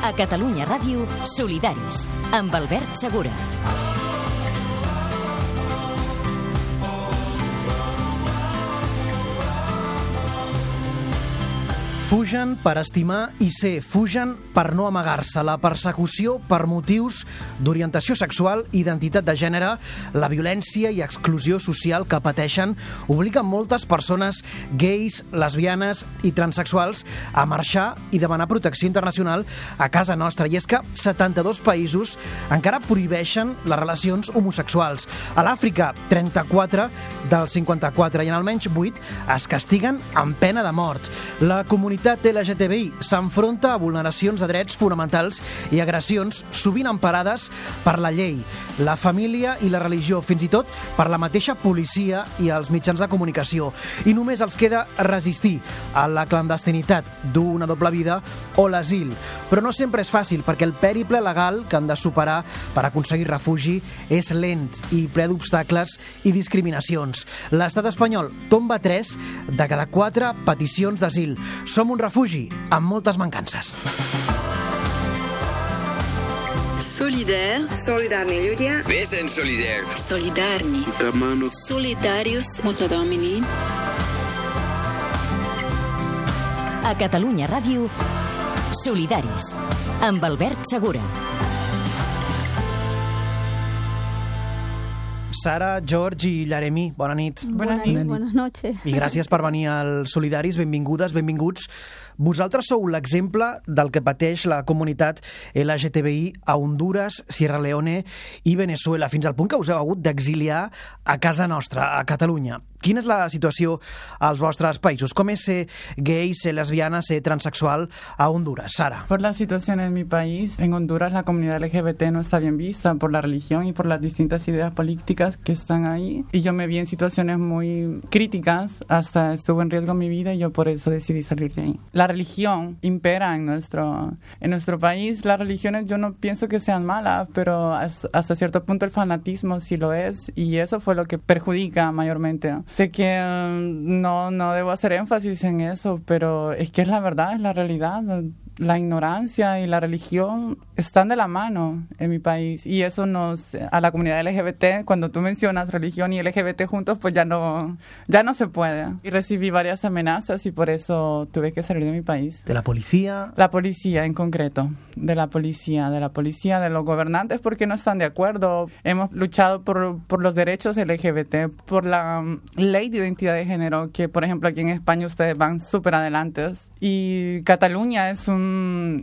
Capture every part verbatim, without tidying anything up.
A Catalunya Ràdio, Solidaris, amb Albert Segura. Fugen per estimar i ser, fugen per no amagar-se. La persecució per motius d'orientació sexual, identitat de gènere, la violència i exclusió social que pateixen obliguen moltes persones gais, lesbianes i transexuals a marxar i demanar protecció internacional a casa nostra. I és que setanta-dos països encara prohibeixen les relacions homosexuals. A l'Àfrica, trenta-quatre dels cinquanta-quatre, i en almenys vuit es castiguen amb pena de mort. La comunitat L G T B I s'enfronta a vulneracions de drets fonamentals i agressions sovint emparades per la llei, la família i la religió, fins i tot per la mateixa policia i els mitjans de comunicació. I només els queda resistir a la clandestinitat, dur una doble vida o l'asil. Però no sempre és fàcil, perquè el pèriple legal que han de superar per aconseguir refugi és lent i ple d'obstacles i discriminacions. L'estat espanyol tomba tres de cada quatre peticions d'asil. Som un refugi amb moltes mancances. Solidaire. Solidarni ľudia. Vesen solidaire. Solidarni. Solidarius muta domini. A Catalunya Ràdio, Solidaris, amb Albert Segura. Sara, George i Llaremí, bona nit. Bona nit, buenas noches. I gràcies per venir als Solidaris, benvingudes, benvinguts. Vosaltres sou l'exemple del que pateix la comunitat L G T B I a Hondures, Sierra Leone i Venezuela, fins al punt que us heu hagut d'exiliar a casa nostra, a Catalunya. Quina és la situació als vostres països? Com és ser gay, ser lesbiana, ser transexual a Honduras? Sara. Por la situación en mi país, en Honduras la comunidad L G B T no está bien vista por la religión y por las distintas ideas políticas que están ahí. Y yo me vi en situaciones muy críticas, hasta estuvo en riesgo mi vida y yo por eso decidí salir de ahí. La religión impera en nuestro, en nuestro país. Las religiones yo no pienso que sean malas, pero hasta cierto punto el fanatismo sí lo es y eso fue lo que perjudica mayormente. Sé que um, no, no debo hacer énfasis en eso, pero es que es la verdad, es la realidad. La ignorancia y la religión están de la mano en mi país y eso nos, a la comunidad L G B T, cuando tú mencionas religión y L G B T juntos, pues ya no, ya no se puede. Y recibí varias amenazas y por eso tuve que salir de mi país. ¿De la policía? La policía en concreto, de la policía, de la policía, de los gobernantes porque no están de acuerdo. Hemos luchado por, por los derechos L G B T, por la um, ley de identidad de género, que por ejemplo aquí en España ustedes van súper adelantes. Y Cataluña es un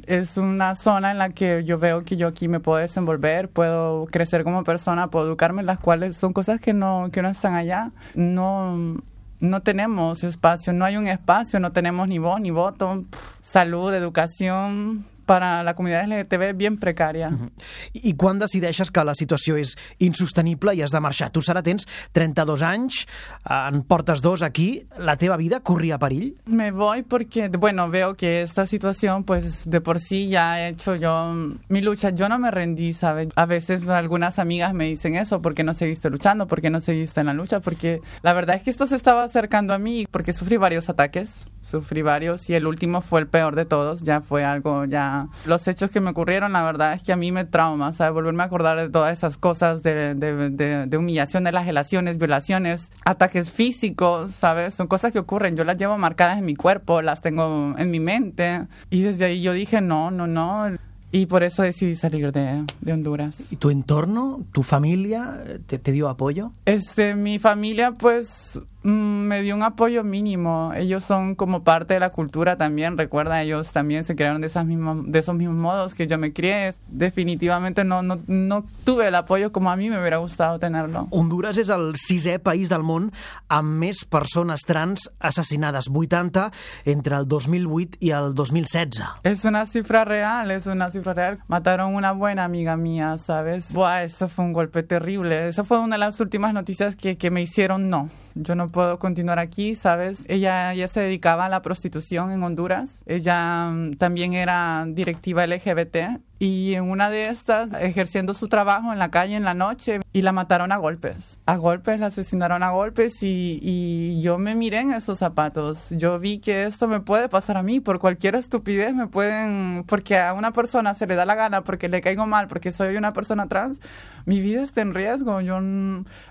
es una zona en la que yo veo que yo aquí me puedo desenvolver, puedo crecer como persona, puedo educarme, las cuales son cosas que no, que no están allá. No, no tenemos espacio, no hay un espacio, no tenemos ni voz ni voto, salud, educación. para la comunitat L G T B bien precària. Uh-huh. I quan decideixes que la situació és insostenible i has de marxar? Tu, Sara, tens trenta-dos anys, en portes dos aquí, la teva vida corria perill? Me voy porque, bueno, veo que esta situación, pues, de por sí ya he hecho yo mi lucha. Yo no me rendí, ¿sabes? A veces algunas amigas me dicen eso, ¿por qué no seguiste luchando? ¿Por qué no seguiste en la lucha? Porque la verdad es que esto se estaba acercando a mí, porque sufrí varios ataques, sufrí varios, y el último fue el peor de todos, ya fue algo, ya... Los hechos que me ocurrieron, la verdad es que a mí me trauma, ¿sabes? Volverme a acordar de todas esas cosas, de, de, de, de humillación, de las relaciones, violaciones, ataques físicos, ¿sabes? Son cosas que ocurren, yo las llevo marcadas en mi cuerpo, las tengo en mi mente, y desde ahí yo dije, no, no, no... Y por eso decidí salir de, de Honduras. ¿Y tu entorno, tu familia, te, te dio apoyo? Este, mi familia, pues, mmm, me dio un apoyo mínimo. Ellos son como parte de la cultura también. Recuerda, ellos también se crearon de, esas mismas, de esos mismos modos que yo me crié. Definitivamente no, no, no tuve el apoyo como a mí me hubiera gustado tenerlo. Honduras és el sisè país del món amb més persones trans assassinades, vuitanta entre el dos mil vuit i el dos mil setze. Es una cifra real, es una cifra real. Mataron una buena amiga mía, ¿sabes? Buah, eso fue un golpe terrible. Eso fue una de las últimas noticias que, que me hicieron no. Yo no puedo continuar aquí, ¿sabes? Ella, ella se dedicaba a la prostitución en Honduras. Ella um, también era directiva L G B T y en una de estas, ejerciendo su trabajo en la calle en la noche, y la mataron a golpes. A golpes, la asesinaron a golpes y, y yo me miré en esos zapatos. Yo vi que esto me puede pasar a mí, por cualquier estupidez me pueden... Porque a una persona se le da la gana, porque le caigo mal, porque soy una persona trans, mi vida está en riesgo. Yo,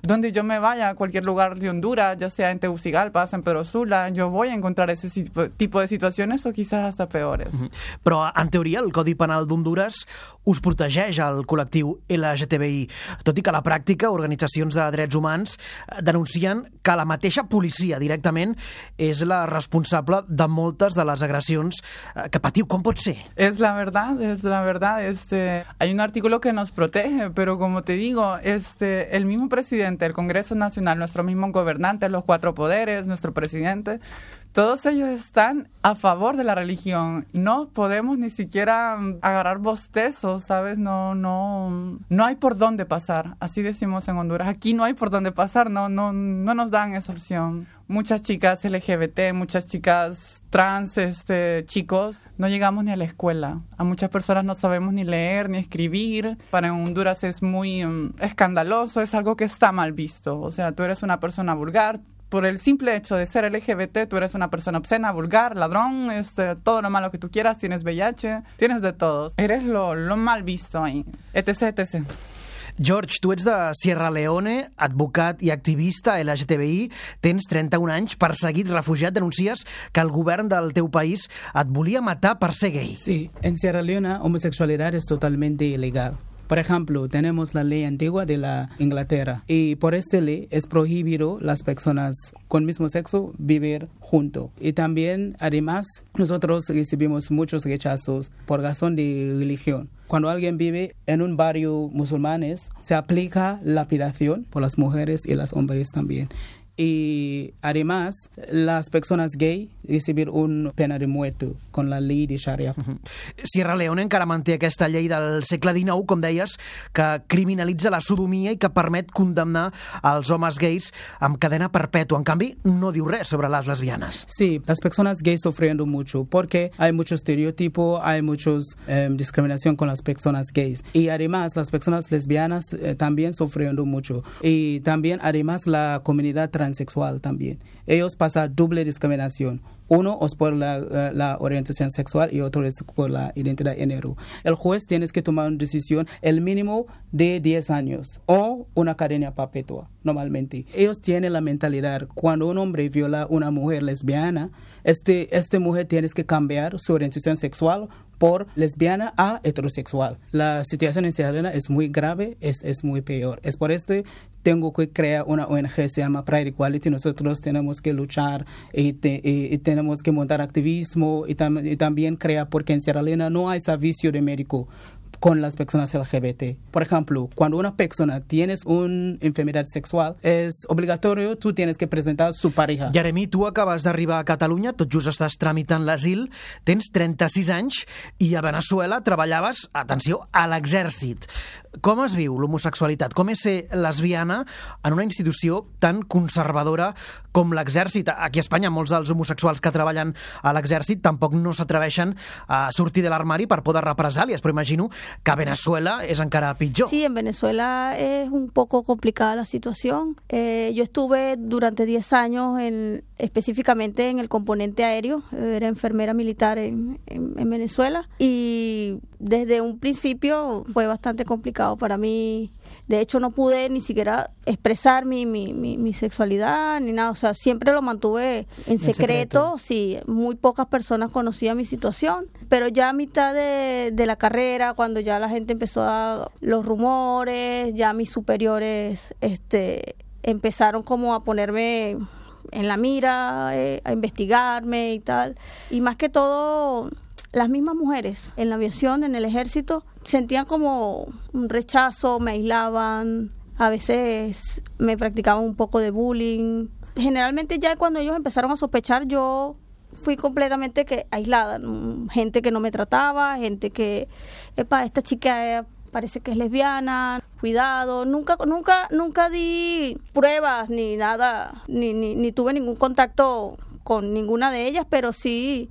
donde yo me vaya, a cualquier lugar de Honduras, ya sea en Tegucigalpa, San Pedro Sula, yo voy a encontrar ese tipo de situaciones o quizás hasta peores. Però, en teoria, el Codi Penal d'Honduras us protegeix al col·lectiu L G T B I, tot i que a la pràctica organitzacions de drets humans denuncien que la mateixa policia directament és la responsable de moltes de les agressions que patiu. Com pot ser? Es la verdad, es la verdad. Este, hay un artículo que nos protege, pero como te digo, este, el mismo presidente, el Congreso Nacional, nuestro mismo gobernante, los cuatro poderes, nuestro presidente, todos ellos están a favor de la religión. No podemos ni siquiera agarrar bostezos, ¿sabes? No, no, no hay por dónde pasar. Así decimos en Honduras. Aquí no hay por dónde pasar. No, no, no nos dan esa opción. Muchas chicas L G B T, muchas chicas trans, este, chicos, no llegamos ni a la escuela. A muchas personas no sabemos ni leer ni escribir. Para Honduras es muy um, escandaloso. Es algo que está mal visto. O sea, tú eres una persona vulgar. Por el simple hecho de ser L G B T, tú eres una persona obscena, vulgar, ladrón, este, todo lo malo que tú quieras, tienes V I H, tienes de todos. Eres lo, lo mal visto ahí, etc, etcétera. George, tu ets de Sierra Leone, advocat i activista L G T B I, tens trenta-un anys, perseguit, refugiat, denuncies que el govern del teu país et volia matar per ser gay. Sí, en Sierra Leone homosexualidad es totalmente ilegal. Por ejemplo, tenemos la ley antigua de la Inglaterra y por esta ley es prohibido las personas con mismo sexo vivir juntos. Y también, además, nosotros recibimos muchos rechazos por razón de religión. Cuando alguien vive en un barrio musulmanes, se aplica la lapidación por las mujeres y los hombres también. Y además, las personas gay recibir una pena de muerte con la ley de Sharia. Uh-huh. Sierra Leone encara manté aquesta llei del segle dinou, com deies, que criminalitza la sodomia i que permet condemnar els homes gais amb cadena perpètua. En canvi, no diu res sobre les lesbianes. Sí, las personas gays sufriendo mucho porque hay mucho estereotipo, hay muchos eh, discriminación con las personas gays. Y además, las personas lesbianas eh, también sufriendo mucho. Y también, además, la comunidad transexual también. Ellos pasan doble discriminación. Uno es por la, uh, la orientación sexual y otro es por la identidad de género. El juez tiene que tomar una decisión, el mínimo de diez años o una cadena perpetua, normalmente. Ellos tienen la mentalidad, cuando un hombre viola a una mujer lesbiana, este, esta mujer tiene que cambiar su orientación sexual por lesbiana a heterosexual. La situación en Sierra Leone es muy grave, es, es muy peor. Es por esto tengo que crear una O N G, se llama Pride Equality. Nosotros tenemos que luchar y, te, y, y tenemos que montar activismo y, tam, y también crear, porque en Sierra Leone no hay servicio de médico con las personas L G B T. Por ejemplo, cuando una persona tiene una enfermedad sexual, es obligatorio, tú tienes que presentar su pareja. Jeremy, tu acabes d'arribar a Catalunya, tot just estàs tramitant l'asil, tens trenta-sis anys i a Venezuela treballaves, atenció, a l'exèrcit. Com es viu l'homosexualitat? Com és ser lesbiana en una institució tan conservadora com l'exèrcit? Aquí a Espanya molts dels homosexuals que treballen a l'exèrcit tampoc no s'atreveixen a sortir de l'armari per por de represàlies, però imagino que a Venezuela es encara pitjor. Sí, en Venezuela es un poco complicada la situación. Eh, yo estuve durante diez años en, específicamente en el componente aéreo, era enfermera militar en, en, en Venezuela y desde un principio fue bastante complicado para mí. De hecho, no pude ni siquiera expresar mi, mi, mi, mi sexualidad ni nada. O sea, siempre lo mantuve en secreto. secreto. Sí, muy pocas personas conocían mi situación. Pero ya a mitad de, de la carrera, cuando ya la gente empezó a... los rumores, ya mis superiores este, empezaron como a ponerme en la mira, eh, a investigarme y tal. Y más que todo... las mismas mujeres en la aviación, en el ejército, sentían como un rechazo, me aislaban, a veces me practicaban un poco de bullying. Generalmente ya cuando ellos empezaron a sospechar, yo fui completamente que aislada. Gente que no me trataba, gente que, epa, esta chica parece que es lesbiana, cuidado. Nunca, nunca, nunca di pruebas ni nada, ni, ni, ni tuve ningún contacto con ninguna de ellas, pero sí...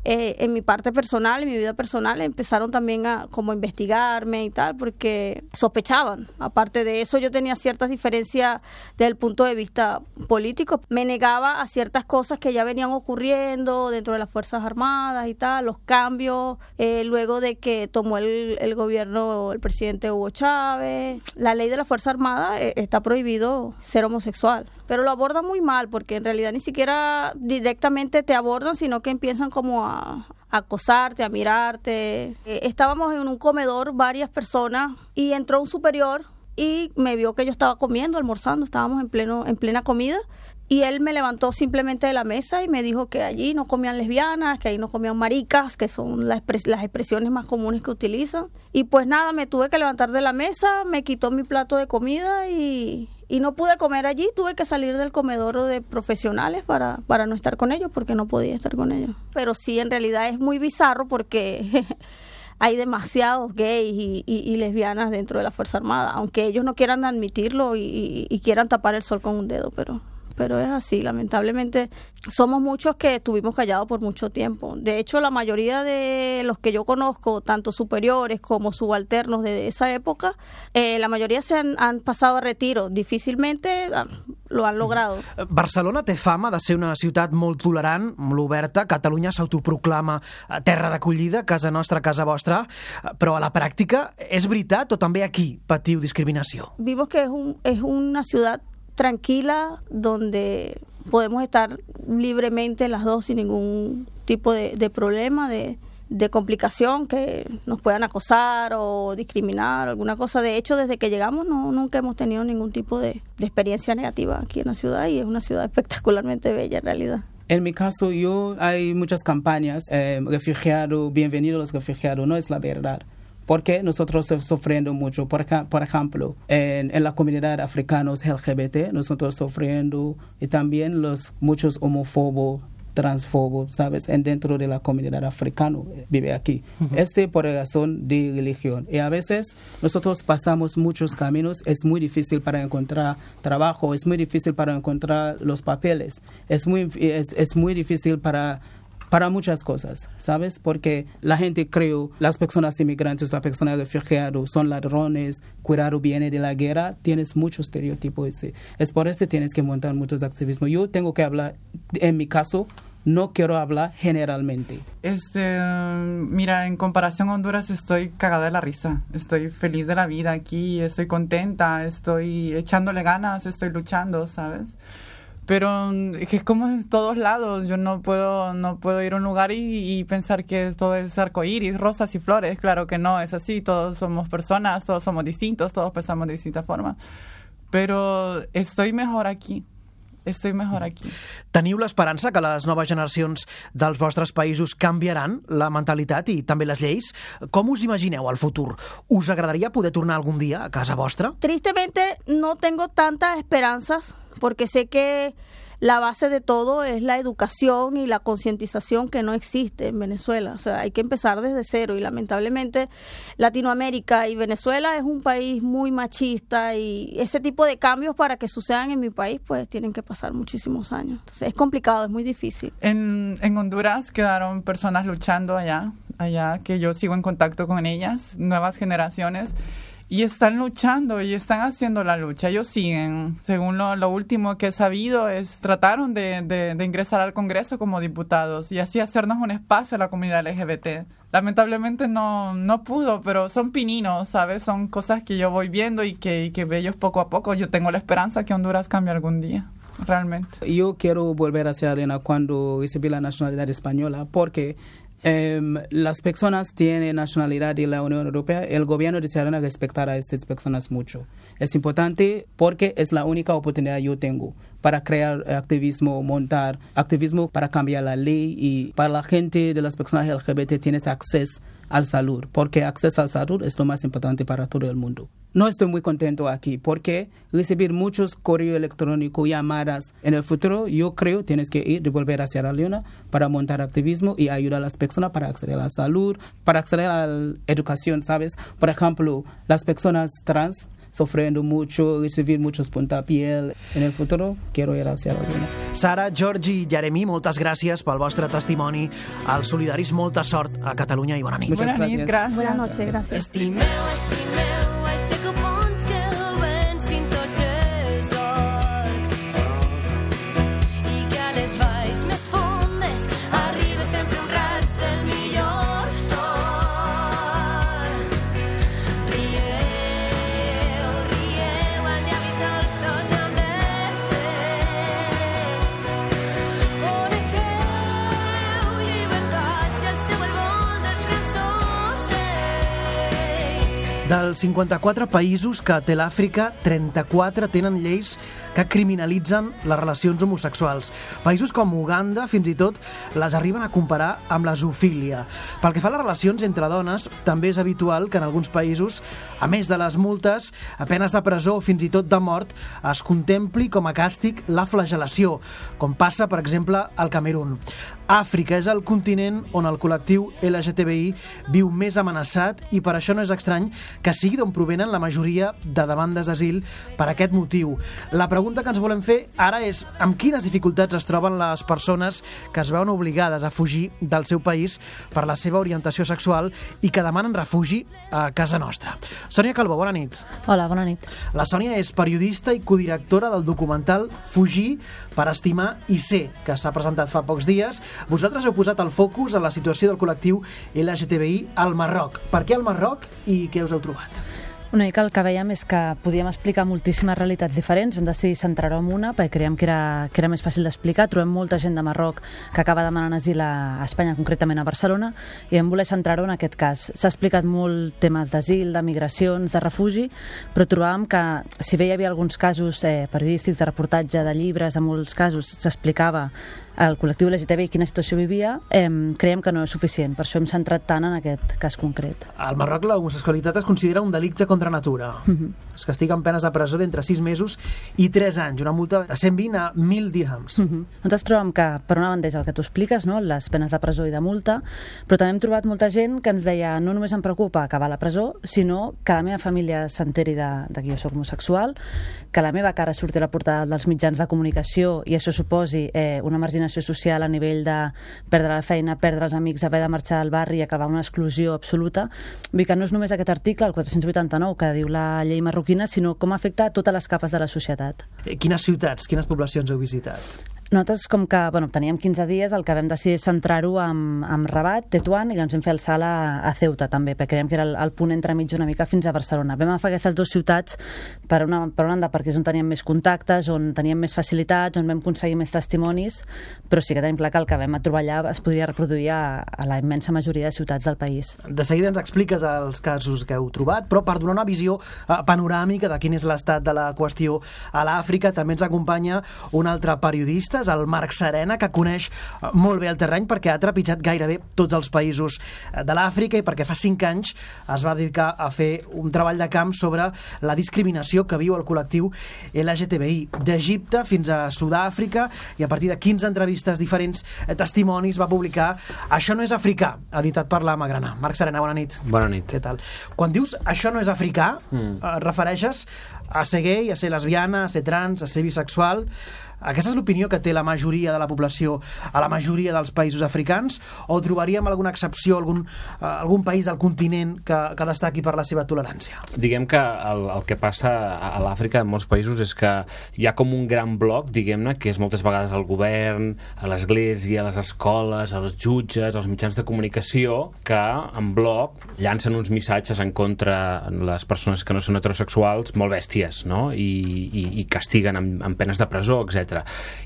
eh, en mi parte personal, en mi vida personal, empezaron también a como investigarme y tal, porque sospechaban. Aparte de eso, yo tenía ciertas diferencias desde el punto de vista político. Me negaba a ciertas cosas que ya venían ocurriendo dentro de las Fuerzas Armadas y tal, los cambios, eh, luego de que tomó el, el gobierno el presidente Hugo Chávez. La ley de la Fuerza Armada eh, está prohibido ser homosexual, pero lo abordan muy mal, porque en realidad ni siquiera directamente te abordan, sino que empiezan como a a acosarte, a mirarte. Eh, estábamos en un comedor, varias personas, y entró un superior y me vio que yo estaba comiendo, almorzando, estábamos en pleno en plena comida, y él me levantó simplemente de la mesa y me dijo que allí no comían lesbianas, que ahí no comían maricas, que son las, expres- las expresiones más comunes que utilizan. Y pues nada, me tuve que levantar de la mesa, me quitó mi plato de comida y, y no pude comer allí. Tuve que salir del comedor de profesionales para, para no estar con ellos, porque no podía estar con ellos. Pero sí, en realidad es muy bizarro porque hay demasiados gays y, y, y lesbianas dentro de la Fuerza Armada, aunque ellos no quieran admitirlo y, y, y quieran tapar el sol con un dedo, pero... Pero es así, lamentablemente somos muchos que estuvimos callados por mucho tiempo. De hecho, la mayoría de los que yo conozco, tanto superiores como subalternos de esa época, eh, la mayoría se han, han pasado a retiro. Difícilmente ah, lo han logrado. Barcelona té fama de ser una ciutat molt tolerant, molt oberta. Catalunya s'autoproclama terra d'acollida, casa nostra, casa vostra. Però a la pràctica, és veritat o també aquí patiu discriminació? Vimos que es, un, es una ciudad tranquila, donde podemos estar libremente las dos sin ningún tipo de, de problema, de, de complicación, que nos puedan acosar o discriminar, alguna cosa. De hecho, desde que llegamos no nunca hemos tenido ningún tipo de, de experiencia negativa aquí en la ciudad, y es una ciudad espectacularmente bella en realidad. En mi caso, yo hay muchas campañas, eh, refugiado, bienvenidos los refugiados, no es la verdad. Porque nosotros estamos sufriendo mucho. Por, por ejemplo, en, en la comunidad africana L G B T, nosotros sufriendo, y también los muchos homófobos, transfobos, ¿sabes? En dentro de la comunidad africana vive aquí. Uh-huh. Este por razón de religión. Y a veces nosotros pasamos muchos caminos. Es muy difícil para encontrar trabajo, es muy difícil para encontrar los papeles, es muy, es, es muy difícil para... para muchas cosas, ¿sabes? Porque la gente cree, las personas inmigrantes, las personas refugiadas son ladrones, cuidado viene de la guerra, tienes muchos estereotipos. Es por eso que tienes que montar muchos activismos. Yo tengo que hablar, en mi caso, no quiero hablar generalmente. Este, mira, en comparación a Honduras estoy cagada de la risa. Estoy feliz de la vida aquí, estoy contenta, estoy echándole ganas, estoy luchando, ¿sabes? Pero es como en todos lados. Yo no puedo no puedo ir a un lugar y, y pensar que todo es arcoíris, rosas y flores. Claro que no es así. Todos somos personas, todos somos distintos, todos pensamos de distintas formas. Pero estoy mejor aquí. Estic mejor aquí. Teniu l'esperança que les noves generacions dels vostres països canviaran la mentalitat i també les lleis? Com us imagineu el futur? Us agradaria poder tornar algun dia a casa vostra? Tristemente no tengo tantas esperanzas, porque sé que la base de todo es la educación y la concientización que no existe en Venezuela. O sea, hay que empezar desde cero, y lamentablemente Latinoamérica y Venezuela es un país muy machista, y ese tipo de cambios para que sucedan en mi país pues tienen que pasar muchísimos años. Entonces es complicado, es muy difícil. En, en Honduras quedaron personas luchando allá, allá que yo sigo en contacto con ellas, nuevas generaciones. Y están luchando y están haciendo la lucha. Ellos siguen. Según lo, lo último que he sabido, es trataron de, de, de ingresar al Congreso como diputados y así hacernos un espacio a la comunidad L G B T. Lamentablemente no, no pudo, pero son pininos, ¿sabes? Son cosas que yo voy viendo y que, y que veo ellos poco a poco. Yo tengo la esperanza que Honduras cambie algún día. Realmente. Yo quiero volver hacia Arena cuando recibí la nacionalidad española, porque Um, las personas tienen nacionalidad de la Unión Europea. El gobierno de Sierra Leona respetará a estas personas mucho. Es importante porque es la única oportunidad que yo tengo para crear activismo, montar activismo para cambiar la ley, y para la gente de las personas L G B T tienes acceso al salud, porque acceso al salud es lo más importante para todo el mundo. No estoy muy contento aquí porque recibir muchos correos electrónicos, llamadas. En el futuro, yo creo tienes que ir, devolver a Sierra Leona para montar activismo y ayudar a las personas para acceder a la salud, para acceder a la educación, ¿sabes? Por ejemplo, las personas trans sufriendo mucho, recibir muchos puntapiés. En el futuro quiero ir hacia la luna. Sara, Georgi i Jeremy, moltes gràcies pel vostre testimoni. Als solidaris, molta sort a Catalunya i bona nit. Buenas noches, gracias. Buenas noches, gracias. Estimeu, estimeu, ai sé que bons que vencin tots els horts i que a les valls més fondes arriba sempre un raig del millor sol. Rieu, rieu, en llavis dels sols amb els vents. Onegeu llibertat i el seu el vol dels grans ocells. Dels cinquanta-quatre països que té l'Àfrica, trenta-quatre tenen lleis que criminalitzen les relacions homosexuals. Països com Uganda, fins i tot, les arriben a comparar amb la zoofília. Pel que fa a les relacions entre dones, també és habitual que en alguns països, a més de les multes, a penes de presó o fins i tot de mort, es contempli com a càstig la flagel·lació, com passa, per exemple, al Camerún. Àfrica és el continent on el col·lectiu L G T B I viu més amenaçat i per això no és estrany que sigui d'on provenen la majoria de demandes d'asil per aquest motiu. La pregunta que ens volem fer ara és amb quines dificultats es troben les persones que es veuen obligades a fugir del seu país per la seva orientació sexual i que demanen refugi a casa nostra. Sònia Calbó, bona nit. Hola, bona nit. La Sònia és periodista i codirectora del documental Fugir per estimar i ser, que s'ha presentat fa pocs dies. Vosaltres heu posat el focus en la situació del col·lectiu L G T B I al Marroc. Per què al Marroc i què us heu trobat? Una mica el que veiem és que podíem explicar moltíssimes realitats diferents, vam decidir centrar-ho en una perquè creiem que era, que era més fàcil d'explicar. Trobem molta gent de Marroc que acaba demanant asil a Espanya, concretament a Barcelona, i vam voler centrar-ho en aquest cas. S'ha explicat molt temes d'asil, de migracions, de refugi, però trobàvem que si bé hi havia alguns casos eh, periodístics, de reportatge, de llibres, en molts casos s'explicava el col·lectiu L G T B I quina situació vivia, eh, creiem que no és suficient. Per això hem centrat tant en aquest cas concret. Al Marroc l'homosexualitat es considera un delicte contra natura. Uh-huh. Es castiga amb penes de presó d'entre sis mesos i tres anys, una multa de cent vint a mil dirhams. Uh-huh. Nosaltres trobem que, per una banda, és el que tu expliques, no? Les penes de presó i de multa, però també hem trobat molta gent que ens deia no només em preocupa acabar a la presó, sinó que la meva família s'enteri de, de que jo soc homosexual, que la meva cara surti a la portada dels mitjans de comunicació i això suposi eh, una marginació social a nivell de perdre la feina, perdre els amics, haver de marxar del barri i acabar una exclusió absoluta. Vull dir que no és només aquest article, el quatre-cents vuitanta-nou, que diu la llei marroquina, sinó com afecta a totes les capes de la societat. Quines ciutats, quines poblacions heu visitat? Nosaltres, com que bueno, teníem quinze dies, el que vam decidir és centrar-ho amb, amb Rabat, Tetuan, i ens vam fer el salt a, a Ceuta, també, perquè creiem que era el, el punt entremig una mica fins a Barcelona. Vam agafar aquestes dues ciutats per una, per una banda perquè és on teníem més contactes, on teníem més facilitats, on vam aconseguir més testimonis, però sí que tenim clar que el que vam trobar allà es podria reproduir a, a la immensa majoria de ciutats del país. De seguida ens expliques els casos que heu trobat, però per donar una visió uh, panoràmica de quin és l'estat de la qüestió a l'Àfrica, també ens acompanya un altre periodista, és el Marc Serena, que coneix molt bé el terreny perquè ha trepitjat gairebé tots els països de l'Àfrica i perquè fa cinc anys es va dedicar a fer un treball de camp sobre la discriminació que viu el col·lectiu L G T B I, d'Egipte fins a Sud-àfrica, i a partir de quinze entrevistes diferents, testimonis, va publicar Això no és africà, editat per la Magrana. Marc Serena, bona nit. Bona nit. Què tal? Quan dius Això no és africà, mm. et refereixes a ser gay, a ser lesbiana, a ser trans, a ser bisexual. Aquesta és l'opinió que té la majoria de la població a la majoria dels països africans, o trobaríem alguna excepció, algun, uh, algun país del continent que, que destaqui per la seva tolerància? Diguem que el, el que passa a l'Àfrica en molts països és que hi ha com un gran bloc, diguem-ne, que és moltes vegades el govern, a l'església, a les escoles, als jutges, als mitjans de comunicació, que en bloc llancen uns missatges en contra de les persones que no són heterosexuals molt bèsties, no? I, i, i castiguen amb, amb penes de presó, etcètera.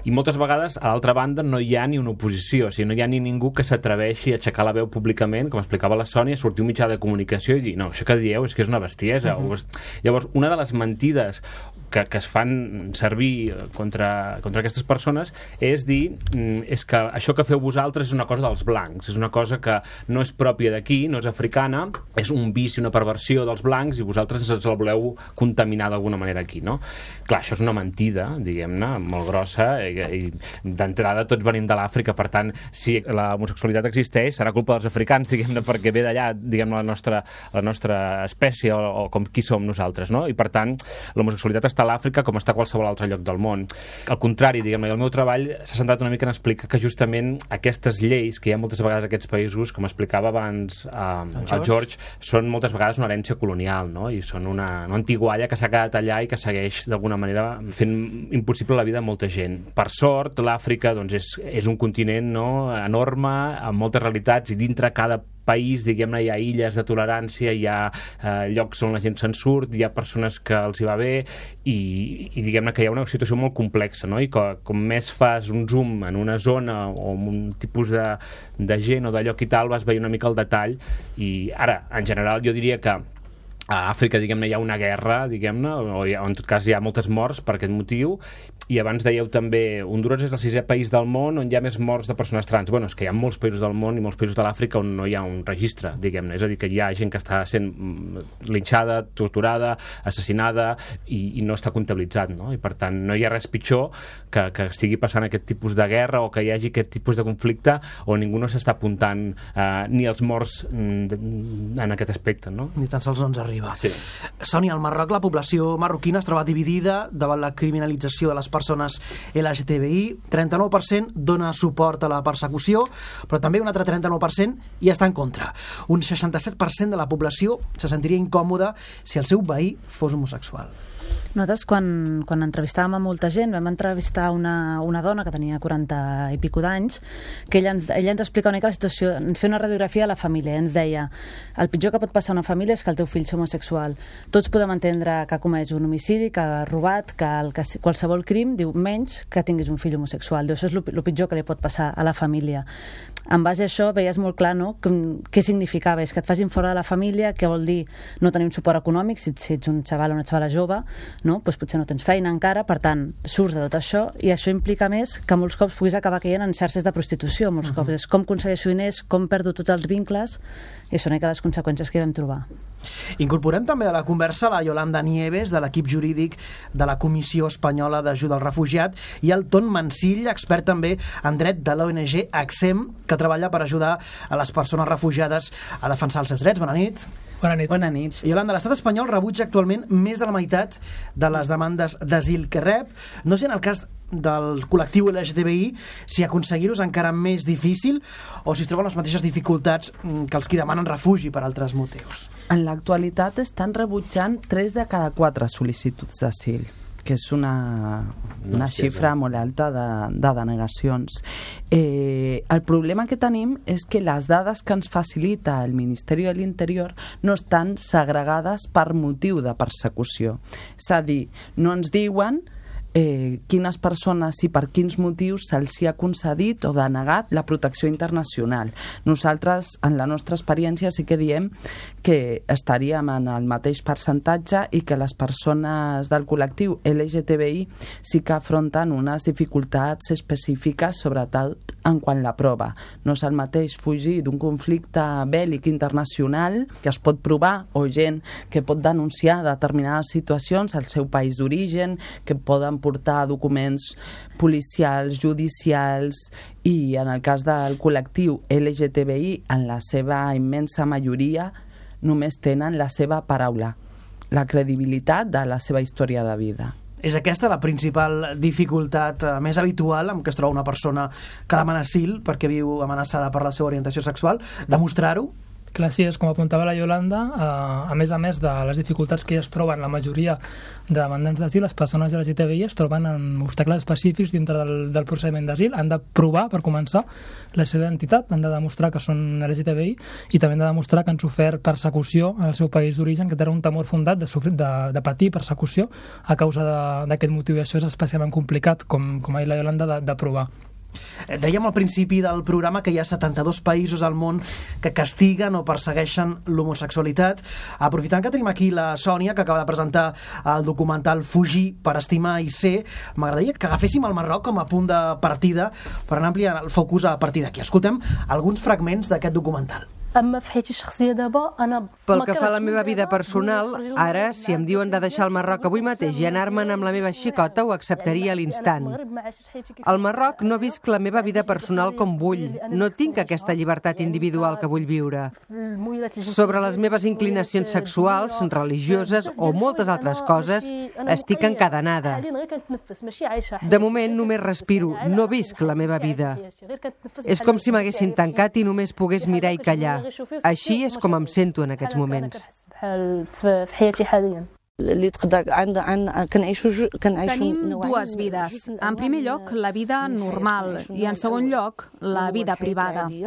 I moltes vegades, a l'altra banda, no hi ha ni una oposició, o sigui, no hi ha ni ningú que s'atreveixi a aixecar la veu públicament, com explicava la Sònia, sortir un mitjà de comunicació i dir, no, això que dieu és que és una bestiesa. Uh-huh. Llavors, una de les mentides que, que es fan servir contra, contra aquestes persones és dir, és que això que feu vosaltres és una cosa dels blancs, és una cosa que no és pròpia d'aquí, no és africana, és un vici, una perversió dels blancs i vosaltres ens la voleu contaminar d'alguna manera aquí, no? Clar, això és una mentida, diguem-ne, molt grossa, i, i d'entrada tots venim de l'Àfrica, per tant, si la homosexualitat existeix, serà culpa dels africans, diguem-ne, perquè ve d'allà, diguem la nostra, la nostra espècie, o, o com qui som nosaltres, no? I per tant, l'homosexualitat està a l'Àfrica com està a qualsevol altre lloc del món. Al contrari, diguem-ne, el meu treball s'ha centrat una mica en explicar que justament aquestes lleis que hi ha moltes vegades en aquests països, com explicava abans eh, el, George. el George, són moltes vegades una herència colonial, no? I són una, una antigualla que s'ha quedat allà i que segueix d'alguna manera fent impossible la vida de molta gent. Per sort, l'Àfrica doncs, és, és un continent, no?, enorme, amb moltes realitats, i dintre cada país, diguem-ne, hi ha illes de tolerància, hi ha eh, llocs on la gent se'n surt, hi ha persones que els hi va bé, i, i diguem-ne que hi ha una situació molt complexa, no? I que, com més fas un zoom en una zona o en un tipus de, de gent o de lloc i tal, vas veient una mica el detall. I ara, en general, jo diria que a Àfrica, diguem-ne, hi ha una guerra, diguem-ne, o, o en tot cas hi ha moltes morts per aquest motiu, i abans dèieu també, Hondures és el sisè país del món on hi ha més morts de persones trans. Bueno, és que hi ha molts països del món i molts països de l'Àfrica on no hi ha un registre, diguem-ne, és a dir, que hi ha gent que està sent linxada, torturada, assassinada, i, i no està comptabilitzat, no? I per tant, no hi ha res pitjor que, que estigui passant aquest tipus de guerra o que hi hagi aquest tipus de conflicte on ningú no s'està apuntant eh, ni els morts mm, en aquest aspecte, no? Ni tan sols no ens arriba. Sí. Sònia, al Marroc la població marroquina es troba dividida davant la criminalització de les persones L G T B I. trenta-nou per cent dona suport a la persecució, però també un altre trenta-nou per cent hi està en contra. Un seixanta-set per cent de la població se sentiria incòmoda si el seu veí fos homosexual. Nosaltres, quan, quan entrevistàvem a molta gent, vam entrevistar una, una dona que tenia quaranta i pico d'anys, que ella ens, ella ens explica una mica la situació, ens feia una radiografia de la família, ens deia, el pitjor que pot passar a una família és que el teu fill és homosexual. Tots podem entendre que ha comès un homicidi, que ha robat, que, el, que qualsevol crim, diu, menys que tinguis un fill homosexual. Diu, això és el pitjor que li pot passar a la família. En base a això, veies molt clar, no?, que, què significava, és que et facin fora de la família, què vol dir no tenir un suport econòmic, si, si ets un xaval o una xavala jove, no? Pues potser no tens feina encara, per tant, surts de tot això, i això implica més que molts cops puguis acabar caient en xarxes de prostitució, molts uh -huh. cops. És com aconsegueixo diners, com perdo tots els vincles, i són les conseqüències que vam trobar. Incorporem també a la conversa la Yolanda Nieves, de l'equip jurídic de la Comissió Espanyola d'Ajuda al Refugiat, i el Ton Mancill, expert també en dret de l'O N G ACCEM, que treballa per ajudar a les persones refugiades a defensar els seus drets. Bona nit. Bona nit. Bona nit. Yolanda, l'estat espanyol rebutja actualment més de la meitat de les demandes d'asil que rep. No sé en el cas del col·lectiu L G T B I si aconseguir-ho és encara més difícil o si es troben les mateixes dificultats que els qui demanen refugi per altres motius. En l'actualitat estan rebutjant tres de cada quatre sol·licituds d'asil, que és una, una no, xifra molt alta de, de denegacions. Eh, el problema que tenim és que les dades que ens facilita el Ministeri de l'Interior no estan segregades per motiu de persecució. És a dir, no ens diuen Eh, quines persones i per quins motius se'ls ha concedit o denegat la protecció internacional. Nosaltres, en la nostra experiència, sí que diem que estaríem en el mateix percentatge i que les persones del col·lectiu L G T B I sí que afronten unes dificultats específiques, sobretot en quant la prova. No és el mateix fugir d'un conflicte bèl·lic internacional que es pot provar, o gent que pot denunciar determinades situacions al seu país d'origen, que poden portar documents policials, judicials, i en el cas del col·lectiu L G T B I, en la seva immensa majoria, només tenen la seva paraula, la credibilitat de la seva història de vida. És aquesta la principal dificultat eh, més habitual amb què es troba una persona que demana asil perquè viu amenaçada per la seva orientació sexual? Demostrar-ho? Clar, sí, és com apuntava la Yolanda, eh, a més a més de les dificultats que es troben la majoria de demandants d'asil, les persones L G T B I es troben en obstacles específics dintre del, del procediment d'asil. Han de provar, per començar, la seva identitat, han de demostrar que són L G T B I i també han de demostrar que han sofert persecució en el seu país d'origen, que tenen un temor fundat de, sofrir, de, de patir persecució a causa d'aquest motiu, i això és especialment complicat, com, com ha dit la Yolanda, de, de provar. Dèiem al principi del programa que hi ha setanta-dos països al món que castiguen o persegueixen l'homosexualitat. Aprofitant que tenim aquí la Sònia, que acaba de presentar el documental Fugir per estimar i ser, m'agradaria que agaféssim el Marroc com a punt de partida per anar ampliant el focus a partir d'aquí. Escoltem alguns fragments d'aquest documental. Pel que fa a la meva vida personal, ara, si em diuen de deixar el Marroc avui mateix i anar-me'n amb la meva xicota, ho acceptaria a l'instant. Al Marroc no visc la meva vida personal com vull. No tinc aquesta llibertat individual que vull viure. Sobre les meves inclinacions sexuals, religioses o moltes altres coses, estic encadenada. De moment només respiro, no visc la meva vida. És com si m'haguessin tancat i només pogués mirar i callar. Així és com em sento en aquests moments. Tenim dues vides. En primer lloc, la vida normal i en segon lloc, la vida privada. En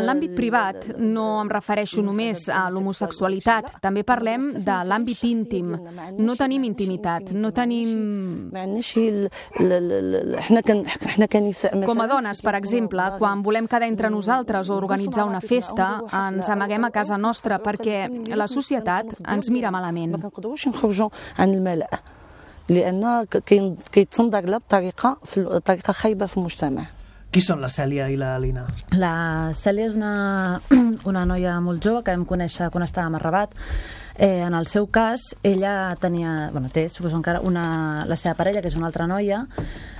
l'àmbit privat no em refereixo només a l'homosexualitat, també parlem de l'àmbit íntim. No tenim intimitat, no tenim... Com a dones, per exemple, quan volem quedar entre nosaltres o organitzar una festa, ens amaguem a casa nostra perquè perquè la societat ens mira malament. Qui són la Cèlia i la Lina? La Cèlia és una, una noia molt jove que vam conèixer quan estàvem a Rabat. Eh, en el seu cas, ella tenia, bueno, té, suposo encara, una, la seva parella, que és una altra noia,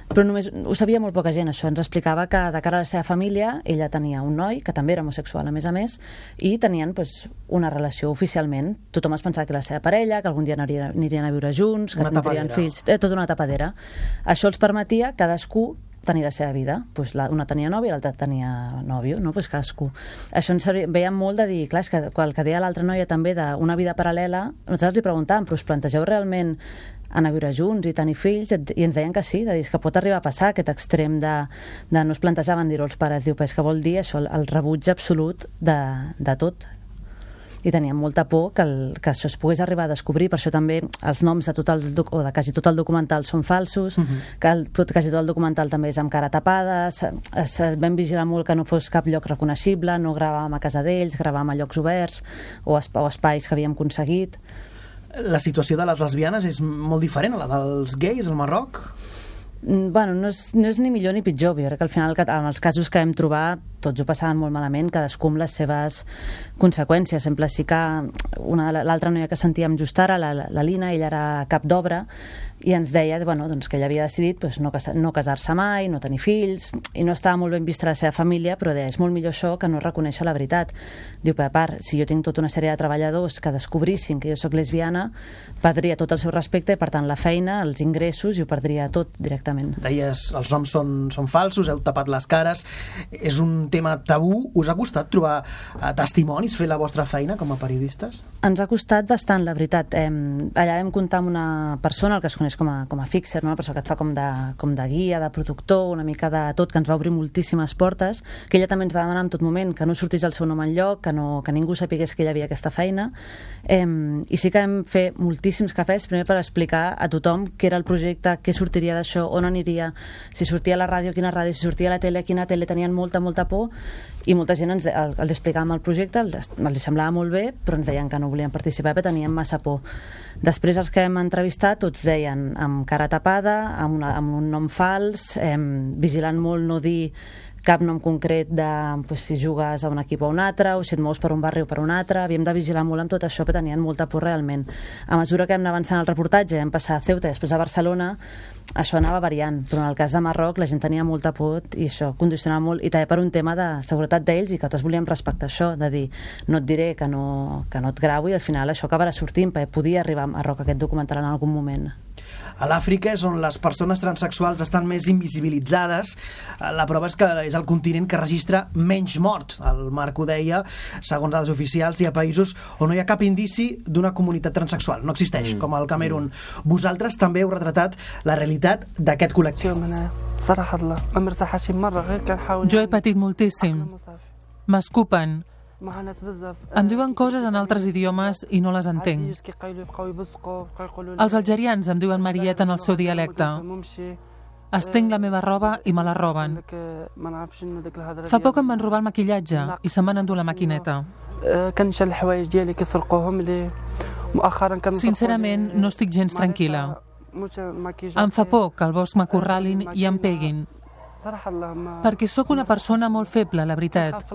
però només ho sabia molt poca gent, això. Ens explicava que de cara a la seva família ella tenia un noi, que també era homosexual, a més a més, i tenien pues, una relació oficialment. Tothom es pensava que la seva parella, que algun dia anirien, anirien a viure junts, que tindrien fills, eh, tota una tapadera. Això els permetia cadascú tenir la seva vida. Pues la, una tenia nòvia i l'altra tenia nòvio, no? Pues cadascú. Això ens veiem molt de dir, clar, és que el que deia l'altra noia també d'una vida paral·lela, nosaltres li preguntàvem, però us plantegeu realment anar a viure junts i tenir fills? I ens deien que sí, de dir, que pot arribar a passar aquest extrem de, de no es plantejaven dir-ho als pares. Diu, però és que vol dir això, el rebuig absolut de, de tot. I teníem molta por que, el, que això es pogués arribar a descobrir, per això també els noms de tot el, o de quasi tot el documental són falsos, uh-huh. que el, tot, quasi tot el documental també és amb cara tapada, es, es, vam vigilar molt que no fos cap lloc reconeixible, no gravàvem a casa d'ells, gravàvem a llocs oberts o, esp o espais que havíem aconseguit. La situació de les lesbianes és molt diferent a la dels gais al Marroc? Bueno, no és, no és ni millor ni pitjor. Jo crec que al final, en els casos que vam trobar, tots ho passaven molt malament, cadascú amb les seves conseqüències. Sempre sí que l'altra noia que sentíem just ara, la, la Lina, ella era cap d'obra, i ens deia bueno, doncs, que ella havia decidit pues, no, casa, no casar-se mai, no tenir fills, i no estava molt ben vista la seva família, però deia, és molt millor això que no reconèixer la veritat. Diu, per a part, si jo tinc tota una sèrie de treballadors que descobrissin que jo sóc lesbiana, perdria tot el seu respecte i, per tant, la feina, els ingressos, i ho perdria tot directament. Deies, els noms són, són falsos, heu tapat les cares, és un tema tabú. Us ha costat trobar eh, testimonis, fer la vostra feina com a periodistes? Ens ha costat bastant, la veritat. Eh, allà vam comptar amb una persona, el que es coneix com a, com a fixer, no? Una persona que et fa com de, com de guia, de productor, una mica de tot, que ens va obrir moltíssimes portes, que ella també ens va demanar en tot moment que no sortís el seu nom enlloc, que, no, que ningú sapigués que ella havia aquesta feina. Eh, I sí que vam fer moltíssims cafès, primer per explicar a tothom què era el projecte, què sortiria d'això, on aniria, si sortia a la ràdio, quina ràdio, si sortia a la tele, quina tele. Tenien molta, molta por, i molta gent ens, els explicàvem el projecte, els, els semblava molt bé, però ens deien que no volien participar perquè tenien massa por. Després els que hem entrevistat tots deien amb cara tapada, amb, una, amb un nom fals, eh, vigilant molt no dir cap nom concret de pues, si jugues a un equip o un altre, o si et mous per un barri o per un altre. Havíem de vigilar molt amb tot això, però tenien molta por realment. A mesura que hem anat avançant el reportatge, hem passat a Ceuta i després a Barcelona, això anava variant, però en el cas de Marroc la gent tenia molta por i això condicionava molt, i també per un tema de seguretat d'ells, i que tots volíem respectar això, de dir, no et diré que no, que no et gravo, i al final això acabarà sortint, perquè podia arribar a Marroc aquest documental en algun moment. A l'Àfrica és on les persones transexuals estan més invisibilitzades. La prova és que és el continent que registra menys morts. El Marc ho deia, segons dades oficials, hi ha països on no hi ha cap indici d'una comunitat transexual. No existeix, mm. com el Camerun. Mm. Vosaltres també heu retratat la realitat d'aquest col·lectiu. Jo he patit moltíssim. M'escupen. Em diuen coses en altres idiomes i no les entenc. Els algerians em diuen Marieta en el seu dialecte. Estenc la meva roba i me la roben. Fa poc em van robar el maquillatge i se'm van endur la maquineta. Sincerament, no estic gens tranquil·la. Em fa por que al bosc m'acorralin i em peguin. Perquè sóc una persona molt feble, la veritat.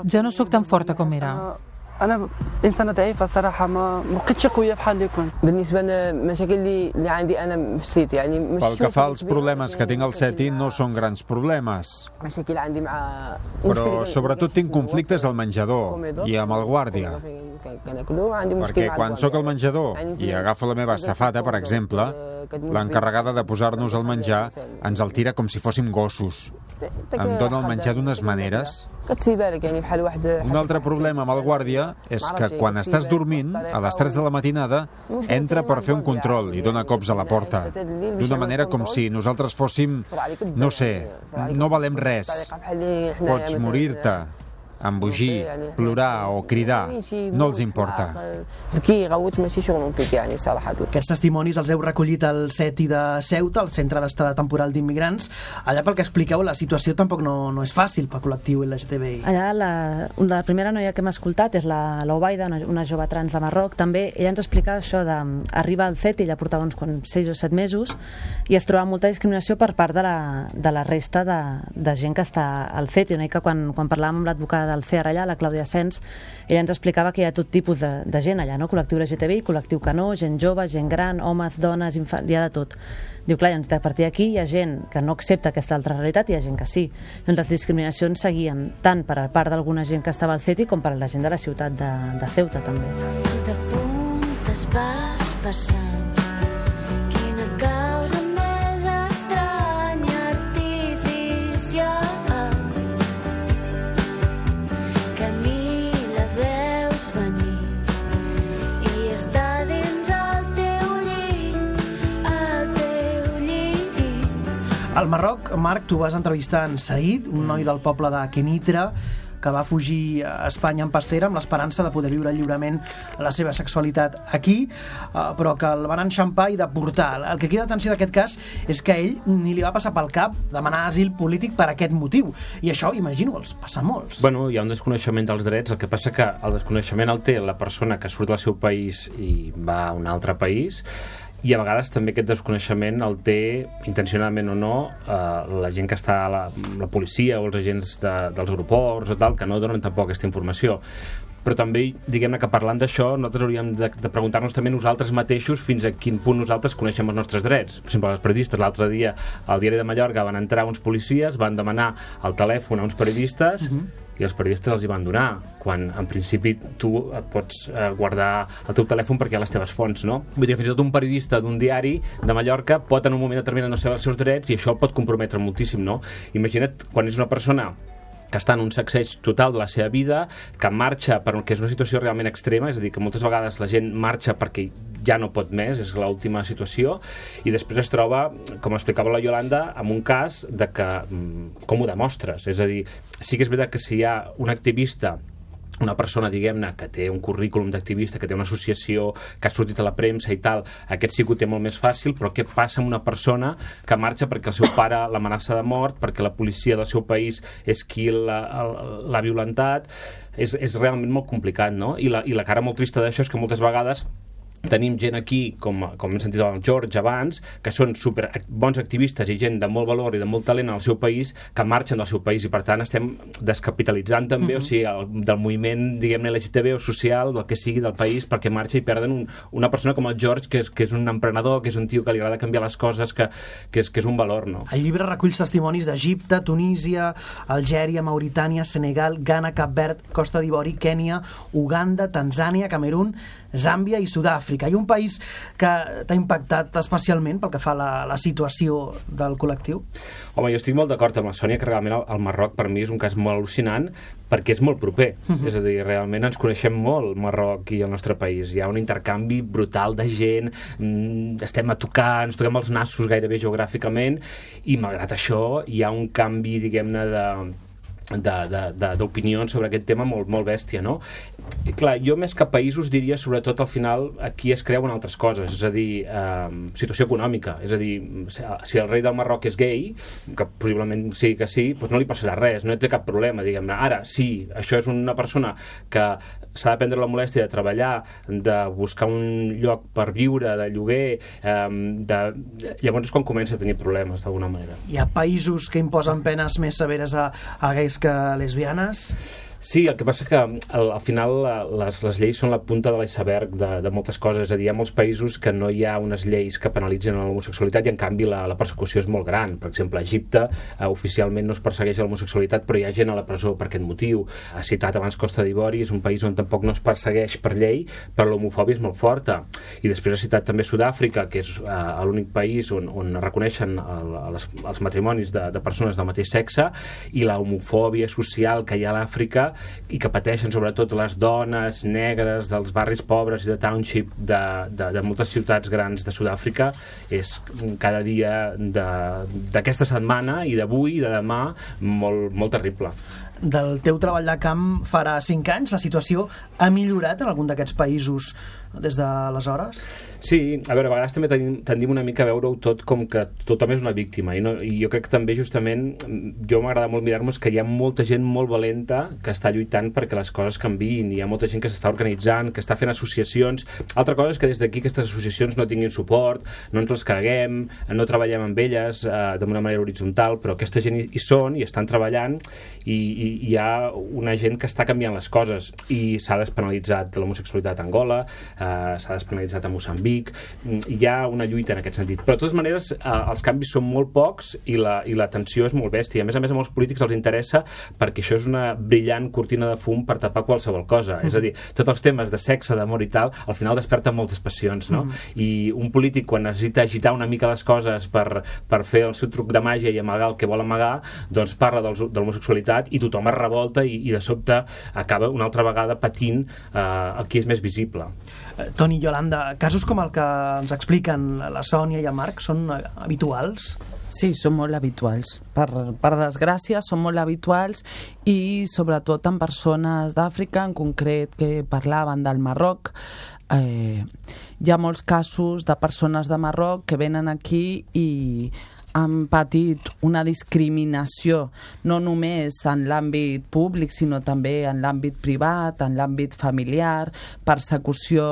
Ja no sóc tan forta com era. أنا إنسانة ضعيفة صراحة ما ما بقيتش قوية بحال اللي كنت بالنسبة للمشاكل اللي اللي عندي أنا في السيت يعني مش Pel que fa als problemes que tinc al SETI no són grans problemes. مشاكل عندي مع Però sobretot tinc conflictes al menjador i amb el guàrdia. Perquè quan sóc al menjador i agafo la meva safata, per exemple, l'encarregada de posar-nos el menjar ens el tira com si fóssim gossos. Em dona el menjar d'unes maneres. Un altre problema amb el guàrdia és que quan estàs dormint, a les tres de la matinada, entra per fer un control i dona cops a la porta. D'una manera com si nosaltres fóssim, no sé, no valem res. Pots morir-te, embogir, plorar o cridar, no els importa. Aquests testimonis els heu recollit al SETI de Ceuta, al Centre d'Estada Temporal d'Immigrants. Allà, pel que expliqueu, la situació tampoc no, no és fàcil pel col·lectiu L G T B I. Allà la, la primera noia que hem escoltat és la l'Obaida, una, una jove trans de Marroc. També ella ens explicava això de arribar al SETI, ella portava uns seis o set mesos i es trobava molta discriminació per part de la, de la resta de, de gent que està al SETI. Una mica quan, quan parlàvem amb l'advocada del C E R allà, la Clàudia Sens, ella ens explicava que hi ha tot tipus de, de gent allà, no? Col·lectiu L G T B I, col·lectiu que no, gent jove, gent gran, homes, dones, infants, hi ha de tot. Diu, clar, doncs a partir d'aquí hi ha gent que no accepta aquesta altra realitat i hi ha gent que sí. Doncs les discriminacions seguien tant per a part d'alguna gent que estava al SETI com per a la gent de la ciutat de, de Ceuta, també. De puntes vas passant, quina causa més estranya, artificial. Al Marroc, Marc, tu vas entrevistar en Saïd, un noi del poble de Kenitra, que va fugir a Espanya en pastera amb l'esperança de poder viure lliurement la seva sexualitat aquí, però que el van enxampar i deportar. El que queda d'atenció d'aquest cas és que a ell ni li va passar pel cap demanar asil polític per aquest motiu. I això, imagino, els passa a molts. Bueno, hi ha un desconeixement dels drets, el que passa que el desconeixement el té la persona que surt del seu país i va a un altre país, i a vegades també aquest desconeixement el té, intencionalment o no, eh, la gent que està a la, la policia o els agents de, dels aeroports o tal, que no donen tampoc aquesta informació. Però també, diguem-ne que parlant d'això, nosaltres hauríem de, de preguntar-nos també nosaltres mateixos fins a quin punt nosaltres coneixem els nostres drets. Per exemple, els periodistes, l'altre dia al Diari de Mallorca van entrar uns policies, van demanar el telèfon a uns periodistes, uh-huh. i els periodistes els hi van donar, quan en principi tu pots eh, guardar el teu telèfon perquè hi ha les teves fonts, no? Vull dir que fins i tot un periodista d'un diari de Mallorca pot en un moment determinat no saber els seus drets i això el pot comprometre moltíssim, no? Imagina't quan és una persona que està en un sacseig total de la seva vida, que marxa perquè és una situació realment extrema, és a dir, que moltes vegades la gent marxa perquè ja no pot més, és l'última situació, i després es troba, com explicava la Yolanda, amb un cas de que, com ho demostres? És a dir, sí que és veritat que si hi ha un activista, una persona, diguem-ne, que té un currículum d'activista, que té una associació, que ha sortit a la premsa i tal, aquest sí que ho té molt més fàcil, però què passa amb una persona que marxa perquè el seu pare l'amenaça de mort, perquè la policia del seu país és qui l'ha violentat? És, és realment molt complicat, no? I la, i la cara molt trista d'això és que moltes vegades tenim gent aquí, com, com hem sentit el George abans, que són super bons activistes i gent de molt valor i de molt talent al seu país, que marxen del seu país i per tant estem descapitalitzant també, mm-hmm. o sigui, el, del moviment, diguem-ne, L G T B o social, del que sigui del país, perquè marxa i perden un, una persona com el George, que és, que és un emprenedor, que és un tio que li agrada canviar les coses, que, que, és, que és un valor, no? El llibre recull testimonis d'Egipte, Tunísia, Algèria, Mauritània, Senegal, Ghana, Cap Verd, Costa d'Ivori, Kènia, Uganda, Tanzània, Camerún, Zàmbia i Sud-àfrica. Hi ha un país que t'ha impactat especialment pel que fa a la, la situació del col·lectiu? Home, jo estic molt d'acord amb la Sònia que realment el, el Marroc per mi és un cas molt al·lucinant perquè és molt proper. Uh-huh. És a dir, realment ens coneixem molt, Marroc i el nostre país. Hi ha un intercanvi brutal de gent, mmm, estem a tocar, ens toquem els nassos gairebé geogràficament i malgrat això hi ha un canvi, diguem-ne, de d'opinions sobre aquest tema molt, molt bèstia, no? I clar, jo més que països diria sobretot al final aquí es creuen altres coses, és a dir, eh, situació econòmica, és a dir, si el rei del Marroc és gay, que possiblement sí que sí, doncs no li passarà res, no té cap problema, diguem-ne. Ara, sí, això és una persona que s'ha de prendre la molèstia de treballar, de buscar un lloc per viure, de lloguer, eh, de... llavors és quan comença a tenir problemes d'alguna manera. Hi ha països que imposen penes més severes a, a gais que lesbianes? Sí, el que passa que al, al final les, les lleis són la punta de l'iceberg de, de moltes coses, és a dir, hi ha molts països que no hi ha unes lleis que penalitzen l'homosexualitat i en canvi la, la persecució és molt gran. Per exemple, a Egipte eh, oficialment no es persegueix l'homosexualitat però hi ha gent a la presó per aquest motiu. Ha citat abans Costa d'Ivori, és un país on tampoc no es persegueix per llei però l'homofòbia és molt forta. I després ha citat també Sud-àfrica, que és eh, l'únic país on, on reconeixen el, les, els matrimonis de, de persones del mateix sexe, i la homofòbia social que hi ha a l'Àfrica i que pateixen sobretot les dones negres dels barris pobres i de township de, de, de moltes ciutats grans de Sud-àfrica és cada dia d'aquesta setmana i d'avui i de demà molt, molt terrible. Del teu treball de camp farà cinc anys, la situació ha millorat en algun d'aquests països des d'aleshores? Sí, a veure, a vegades també tendim, tendim una mica a veure-ho tot com que tothom és una víctima i, no, i jo crec que també justament jo m'agrada molt mirar-nos que hi ha molta gent molt valenta que està lluitant perquè les coses canviïn, hi ha molta gent que s'està organitzant, que està fent associacions. Altra cosa és que des d'aquí aquestes associacions no tinguin suport, no ens les carreguem, no treballem amb elles eh, d'una manera horitzontal, però aquesta gent hi, hi són i estan treballant i, i hi ha una gent que està canviant les coses i s'ha despenalitzat l'homosexualitat a Angola, eh, s'ha despenalitzat a Moçambic, hi ha una lluita en aquest sentit, però de totes maneres eh, els canvis són molt pocs i la, i la tensió és molt bèstia. A més a més a molts polítics els interessa perquè això és una brillant cortina de fum per tapar qualsevol cosa, mm. és a dir, tots els temes de sexe, d'amor i tal, al final desperten moltes passions, no? Mm. I un polític quan necessita agitar una mica les coses per, per fer el seu truc de màgia i amagar el que vol amagar, doncs parla de l'homosexualitat i tothom es revolta i, i de sobte acaba una altra vegada patint eh, el que és més visible. Eh, Toni, Yolanda, casos com el que ens expliquen la Sònia i el Marc són habituals? Sí, són molt habituals. Per, per desgràcia, són molt habituals i sobretot en persones d'Àfrica, en concret que parlaven del Marroc. Eh, hi ha molts casos de persones de Marroc que venen aquí i han patit una discriminació no només en l'àmbit públic sinó també en l'àmbit privat, en l'àmbit familiar, persecució,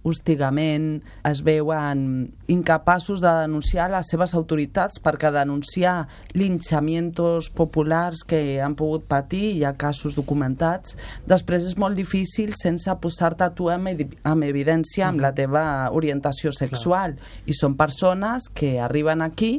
hostigament, es veuen incapaços de denunciar les seves autoritats perquè denunciar linxamientos populars que han pogut patir, hi ha casos documentats, després és molt difícil sense posar-te tu en, en evidència amb la teva orientació sexual. I són persones que arriben aquí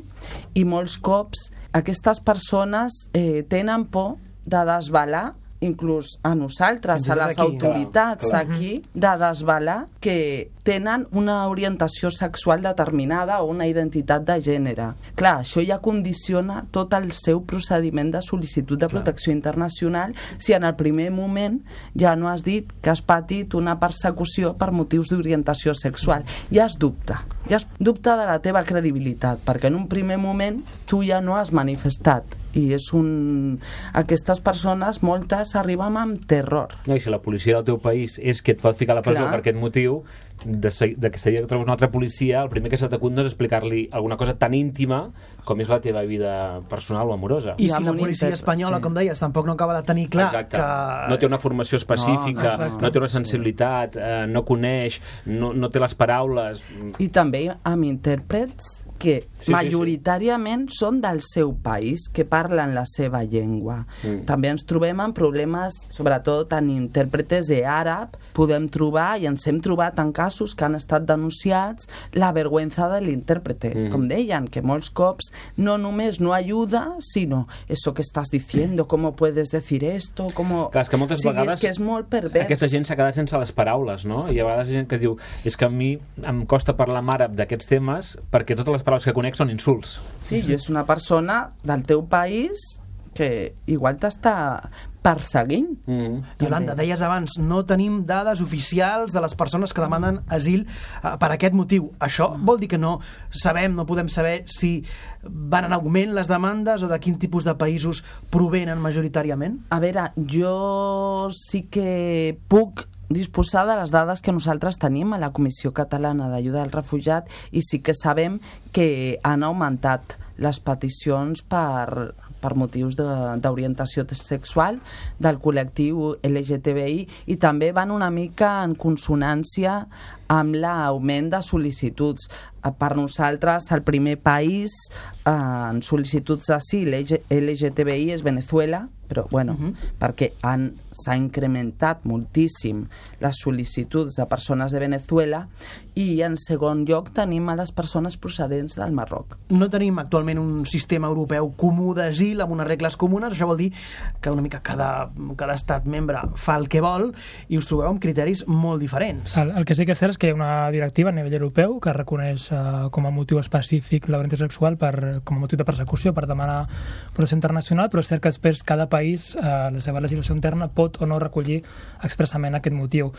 i molts cops aquestes persones eh, tenen por de desvelar inclús a nosaltres, a les autoritats aquí, de desvelar que tenen una orientació sexual determinada o una identitat de gènere. Clar, això ja condiciona tot el seu procediment de sol·licitud de protecció internacional si en el primer moment ja no has dit que has patit una persecució per motius d'orientació sexual. Ja es dubta, ja es dubta de la teva credibilitat, perquè en un primer moment tu ja no has manifestat i és un... aquestes persones moltes arriben amb terror. No, i si la policia del teu país és que et pot ficar a la presó Clar. per aquest motiu, de, de que seria que trobes una altra policia, el primer que se t'acut no és explicar-li alguna cosa tan íntima com és la teva vida personal o amorosa. I si la policia espanyola, sí. com deies, tampoc no acaba de tenir clar Exacte. que... No té una formació específica, no, no, no té una sensibilitat, eh, no coneix, no, no té les paraules... I també amb intèrprets que sí, majoritàriament sí, sí. són del seu país, que parlen la seva llengua. Mm. També ens trobem amb problemes, sobretot en intèrpretes d'àrab, podem trobar, i ens hem trobat en casos que han estat denunciats, la vergüenza de l'intèrprete. Mm. Com deien, que molts cops no només no ajuda, sinó eso que estàs diciendo, ¿cómo puedes decir esto? ¿Cómo... Clar, és que moltes sí, vegades és que és molt pervers. Aquesta gent s'ha quedat sense les paraules, no? Sí. I a vegades hi ha gent que diu, és que a mi em costa parlar amb àrab d'aquests temes perquè totes les paraules que conec són insults. Sí, i és una persona del teu país que igual t'està perseguint. Mm. Iolanda, deies abans, no tenim dades oficials de les persones que demanen asil uh, per aquest motiu. Això vol dir que no sabem, no podem saber si van en augment les demandes o de quin tipus de països provenen majoritàriament? A veure, jo sí que puc disposar de les dades que nosaltres tenim a la Comissió Catalana d'Ajuda al Refugiat i sí que sabem que han augmentat les peticions per, per motius d'orientació sexual del col·lectiu L G T B I i també van una mica en consonància amb l'augment de sol·licituds. Per nosaltres, el primer país en sol·licituds d'asil L G T B I és Venezuela, però bueno, uh-huh. perquè s'ha incrementat moltíssim les sol·licituds de persones de Venezuela i en segon lloc tenim a les persones procedents del Marroc. No tenim actualment un sistema europeu comú d'asil amb unes regles comunes, això vol dir que una mica cada, cada estat membre fa el que vol i us trobeu amb criteris molt diferents. El, el que sí que és cert és que hi ha una directiva a nivell europeu que reconeix eh, com a motiu específic l'orientació sexual per, com a motiu de persecució per demanar protecció internacional, però és cert que després cada país, eh, la seva legislació interna, pot o no recollir expressament aquest motiu.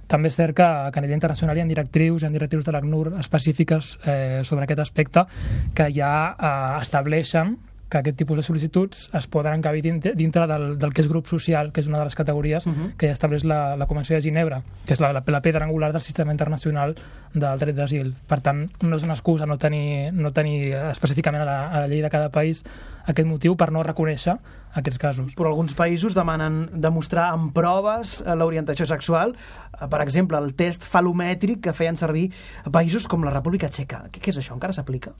També és cert que, que a nivell internacional hi ha directrius, hi ha directrius de l'ACNUR específiques eh, sobre aquest aspecte que ja eh, estableixen que aquest tipus de sol·licituds es poden encabir dintre, dintre del, del que és grup social, que és una de les categories uh-huh. que ja estableix la, la Convenció de Ginebra, que és la, la, la pedra angular del sistema internacional del dret d'asil. Per tant, no és una excusa no tenir, no tenir específicament a la, a la llei de cada país aquest motiu per no reconèixer aquests casos. Però alguns països demanen demostrar amb proves l'orientació sexual, per exemple, el test falomètric que feien servir països com la República Txeca. Què, què és això? Encara s'aplica?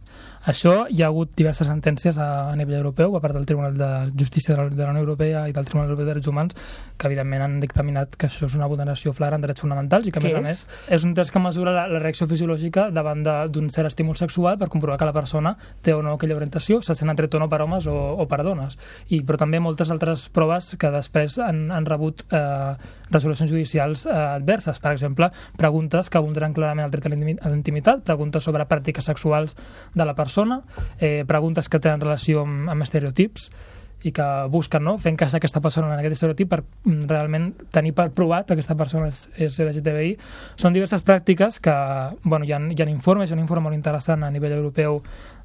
Això hi ha hagut diverses sentències a, a nivell europeu, a part del Tribunal de Justícia de la, de la Unió Europea i del Tribunal Europeu de Drets Humans, que evidentment han dictaminat que això és una vulneració flagrant de drets fonamentals i que, a més a més, és un test que mesura la, la reacció fisiològica davant d'un cert estímul sexual per comprovar que la persona té o no aquella orientació, se sent atret o no per homes o, o per dones. I, però també moltes altres proves que després han, han rebut eh, resolucions judicials eh, adverses. Per exemple, preguntes que vulneren clarament el dret a la intimitat, preguntes sobre pràctiques sexuals de la persona, eh, preguntes que tenen relació amb, amb estereotips i que busquen, no?, fer encaixar aquesta persona en aquest estereotip per realment tenir per provat que aquesta persona és, és L G T B I. Són diverses pràctiques que, bueno, hi ha, hi ha informes, hi ha un informe molt interessant a nivell europeu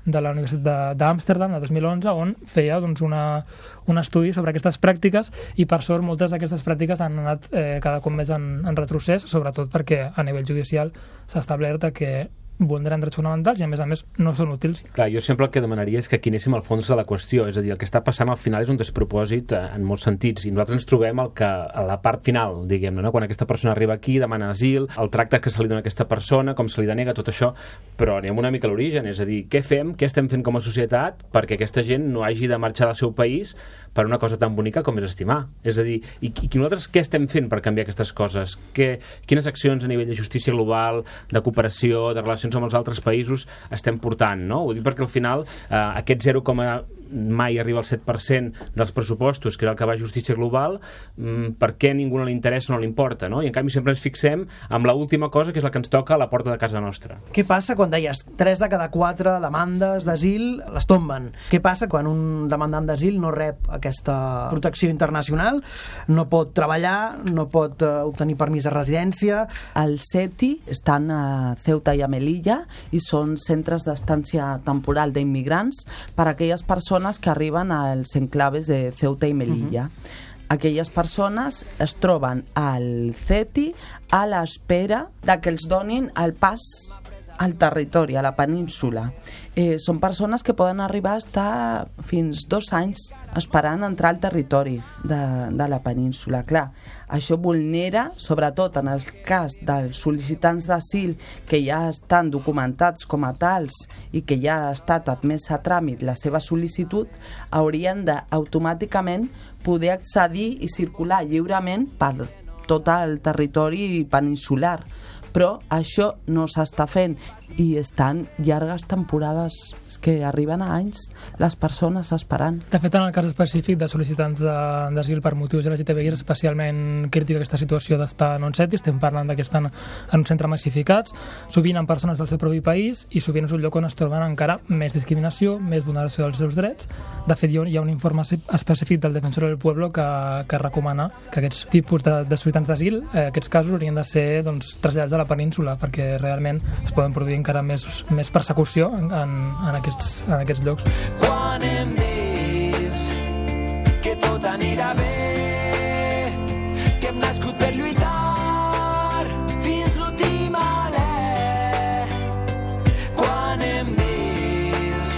de la Universitat d'Amsterdam, de dos mil onze, on feia doncs, una, un estudi sobre aquestes pràctiques i, per sort, moltes d'aquestes pràctiques han anat eh, cada cop més en, en retrocés, sobretot perquè a nivell judicial s'ha establert que vulneren drets fonamentals i, a més a més, no són útils. Clar, jo sempre el que demanaria és que aquí anéssim al fons de la qüestió, és a dir, el que està passant al final és un despropòsit eh, en molts sentits, i nosaltres ens trobem el que, a la part final, diguem-ne, no? Quan aquesta persona arriba aquí, demana asil, el tracte que se li dona a aquesta persona, com se li denega, tot això, però anem una mica a l'origen, és a dir, què fem, què estem fent com a societat perquè aquesta gent no hagi de marxar del seu país per una cosa tan bonica com és estimar. És a dir, i, i nosaltres què estem fent per canviar aquestes coses? Que, quines accions a nivell de justícia global, de cooperació, de relacions amb els altres països estem portant, no? Ho dic perquè al final eh, aquest zero coma mai arriba al set per cent dels pressupostos, que és el que va a justícia global, mmm, per què a ningú no li interessa, no li importa, no? I en canvi sempre ens fixem amb l'última cosa, que és la que ens toca a la porta de casa nostra. Què passa quan deies tres de cada quatre demandes d'asil les tomben? Què passa quan un demandant d'asil no rep aquesta protecció internacional, no pot treballar, no pot uh, obtenir permís de residència? El CETI estan a Ceuta i a Melilla i són centres d'estància temporal d'immigrants per a aquelles persones que arriben als enclaves de Ceuta i Melilla. Uh-huh. Aquelles persones es troben al CETI a l'espera de que els donin el pas al territori, a la península. Eh, són persones que poden arribar a estar fins dos anys esperant entrar al territori de, de la península. Clar, això vulnera, sobretot en el cas dels sol·licitants d'asil que ja estan documentats com a tals i que ja ha estat admès a tràmit la seva sol·licitud, haurien d'automàticament poder accedir i circular lliurement per tot el territori peninsular. Però això no s'està fent i estan llargues temporades, és que arriben a anys les persones esperant. De fet, en el cas específic de sol·licitants d'asil per motius L G T B I és especialment crítica aquesta situació d'estar en un set, i estem parlant que estan en un centre massificats, sovint amb persones del seu propi país, i sovint és un lloc on es troben encara més discriminació, més vulneració dels seus drets. De fet, hi ha un informe específic del Defensor del Pueblo que, que recomana que aquests tipus de, de sol·licitants d'asil, eh, aquests casos haurien de ser doncs, traslladats a la península, perquè realment es poden produir encara més, més persecució en, en, en, aquests, en aquests llocs. Quan em dius que tot anirà bé, que hem nascut per lluitar fins l'últim alè. Quan em dius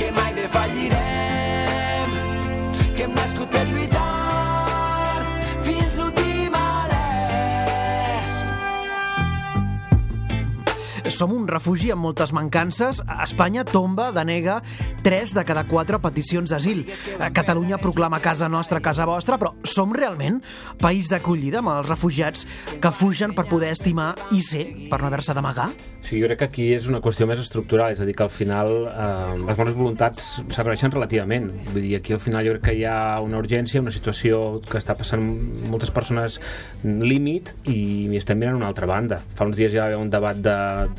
que mai defallirem, que hem nascut per lluitar fins l'últim alè. Som un refugi amb moltes mancances. Espanya tomba, denega tres de cada quatre peticions d'asil. Catalunya proclama casa nostra, casa vostra, però som realment país d'acollida amb els refugiats que fugen per poder estimar i ser, per no haver-se d'amagar? Sí, jo crec que aquí és una qüestió més estructural, és a dir, que al final eh, les bones voluntats serveixen relativament. Vull dir, aquí al final jo crec que hi ha una urgència, una situació que està passant moltes persones límit, i estem mirant una altra banda. Fa uns dies hi va haver un debat de,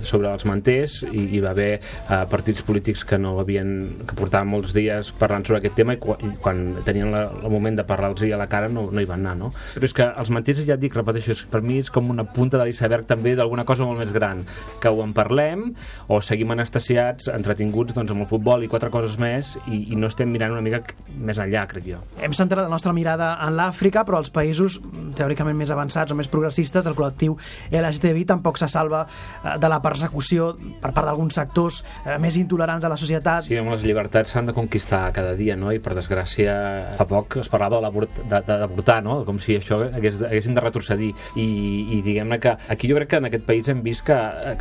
sobre els manters, i hi va haver eh, partits polítics que no havien, que portaven molts dies parlant sobre aquest tema, i quan, i quan tenien la, el moment de parlar-los a la cara no, no hi van anar, no? Però és que els manters, ja et dic, repeteixo, per mi és com una punta de l'iceberg també d'alguna cosa molt més gran, que ho en parlem o seguim anestesiats, entretinguts doncs, amb el futbol i quatre coses més, i, i no estem mirant una mica més enllà, crec jo. Hem centrat la nostra mirada en l'Àfrica, però als països teòricament més avançats o més progressistes, el col·lectiu L G T B I tampoc se salva de la persecució per part d'alguns sectors eh, més intolerants a la societat. Sí, les llibertats s'han de conquistar cada dia, no? I per desgràcia fa poc es parlava d'avortar, no? Com si això hagués, haguéssim de retrocedir, i, i diguem-ne que aquí jo crec que en aquest país hem vist que,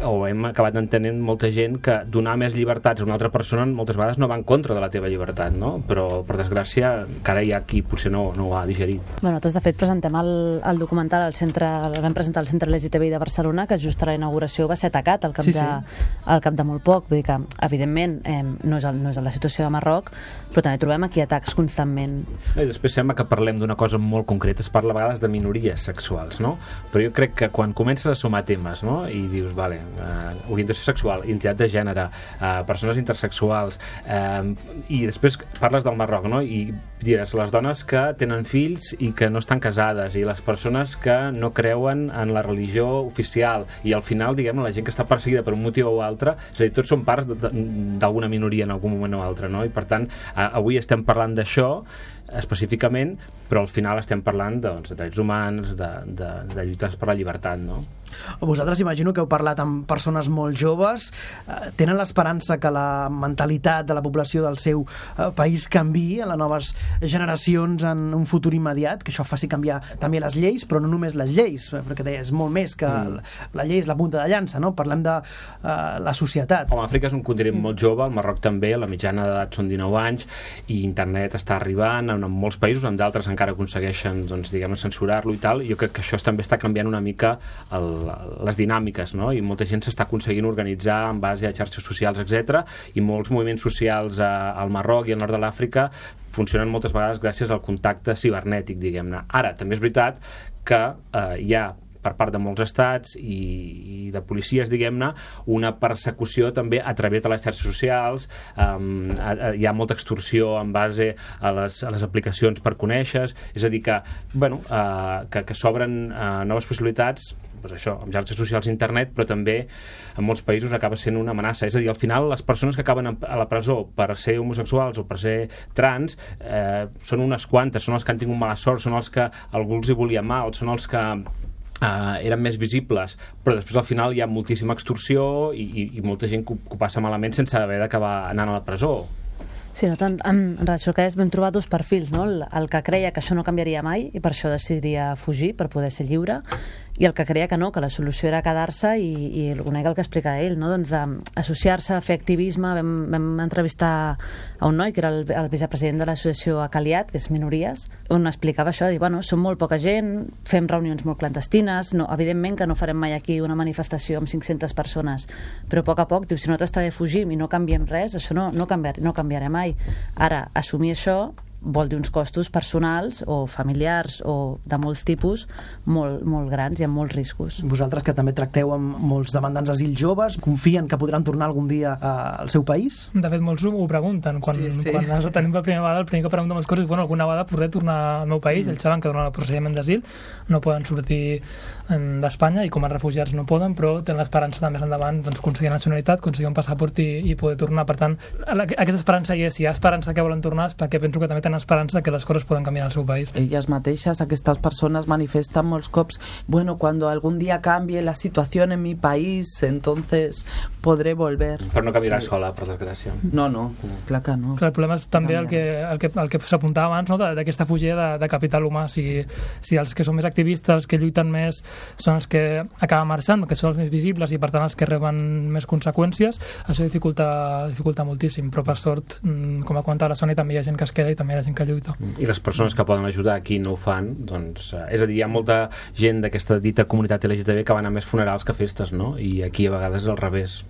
o hem acabat entenent molta gent, que donar més llibertats a una altra persona moltes vegades no va en contra de la teva llibertat, no? Però per desgràcia encara hi ha qui potser no, no ho ha digerit. Bueno, nosaltres de fet presentem el, el documental al centre, el vam presentar al Centre L G T B I de Barcelona, que just a la inauguració va ser atacat al cap, sí, de, sí. al cap de molt poc. Vull dir que, evidentment, eh, no, és el, no és la situació de Marroc, però també trobem aquí atacs constantment. I després sembla que parlem d'una cosa molt concreta, es parla a vegades de minories sexuals, no? Però jo crec que quan comences a sumar temes, no? I dius, vale, eh, orientació sexual, identitat de gènere, eh, persones intersexuals, eh, i després parles del Marroc, no? I diràs, les dones que tenen fills i que no estan casades, i les persones que no creuen en la religió oficial, i al final, diguem, la gent que està perseguida per un motiu o altre, és a dir, tots són parts d'alguna minoria en algun moment o altre, no? I per tant, avui estem parlant d'això específicament, però al final estem parlant doncs, de drets humans, de, de, de lluites per la llibertat, no? Vosaltres imagino que heu parlat amb persones molt joves, eh, tenen l'esperança que la mentalitat de la població del seu eh, país canviï en les noves generacions en un futur immediat, que això faci canviar també les lleis, però no només les lleis, perquè deia, és molt més que mm. la, la llei és la punta de llança, no? Parlem de eh, la societat. Home, Àfrica és un continent molt jove, el Marroc també, la mitjana d'edat són dinou anys, i internet està arribant en molts països, en d'altres encara aconsegueixen doncs, diguem, censurar-lo i tal, i jo crec que això també està canviant una mica el, les dinàmiques, no? I molta gent s'està aconseguint organitzar en base a xarxes socials, etcètera, i molts moviments socials a, al Marroc i al nord de l'Àfrica funcionen moltes vegades gràcies al contacte cibernètic, diguem-ne. Ara, també és veritat que eh, hi ha per part de molts estats i, i de policies, diguem-ne, una persecució també a través de les xarxes socials. Um, a, a, hi ha molta extorsió en base a les, a les aplicacions per conèixer, és a dir que, bueno, uh, que, que s'obren uh, noves possibilitats, doncs això, amb xarxes socials i internet, però també en molts països acaba sent una amenaça. És a dir, al final les persones que acaben a la presó per ser homosexuals o per ser trans eh, són unes quantes, són els que han tingut mala sort, són els que algú els hi volia mal, són els que Uh, eren més visibles, però després al final hi ha moltíssima extorsió i, i, i molta gent que ho, que ho passa malament sense haver d'acabar anant a la presó. Sí, no tant, en, en relació que és, vam trobar dos perfils, no? El, el que creia que això no canviaria mai i per això decidiria fugir per poder ser lliure, i el que creia que no, que la solució era quedar-se i, i una mica el que explica ell, no? Doncs associar-se, fer activisme. Vam, vam entrevistar a un noi que era el, el vicepresident de l'associació Acaliat, que és Minories, on explicava això, de dir, bueno, som molt poca gent, fem reunions molt clandestines, no, evidentment que no farem mai aquí una manifestació amb cinc-centes persones, però a poc a poc, diu, si nosaltres també fugim i no canviem res, això no, no, canviar, no canviarà mai. Ara, assumir això vol dir uns costos personals o familiars o de molts tipus molt, molt grans i amb molts riscos. Vosaltres, que també tracteu amb molts demandants d'asil joves, confien que podran tornar algun dia al seu país? De fet, molts ho pregunten. Quan, sí, sí. quan ens tenim per primera vegada, el primer que preguntem les coses és, bueno, alguna vegada podré tornar al meu país. Mm. Ells saben que durant el procediment d'asil no poden sortir d'Espanya i com a refugiats no poden, però tenen l'esperança de més endavant doncs, aconseguir nacionalitat, aconseguir un passaport i, i poder tornar. Per tant, aquesta esperança hi és. Si hi ha esperança que volen tornar, és perquè penso que també tenen esperança que les coses poden canviar al seu país. Ellas mateixes, aquestes persones manifestan molts cops, bueno, cuando algún día cambie la situación en mi país, entonces podré volver. Però no canviarà sí. sola, per desgràcia. No, no, clar que no. Clar, el problema és també el que, el que, el que s'apuntava abans, no? d'aquesta fugida de, de capital humà. Si, sí. si els que són més activistes, els que lluiten més, són els que acaben marxant, que són els més visibles i per tant els que reben més conseqüències, això dificulta, dificulta moltíssim, però per sort, com ha comentat la Sònia, també hi ha gent que es queda i també hi ha gent que lluita. I les persones que poden ajudar aquí no ho fan, doncs, eh, és a dir, hi ha molta gent d'aquesta dita comunitat L G T B que van a més funerals que festes, no? I aquí a vegades és al revés,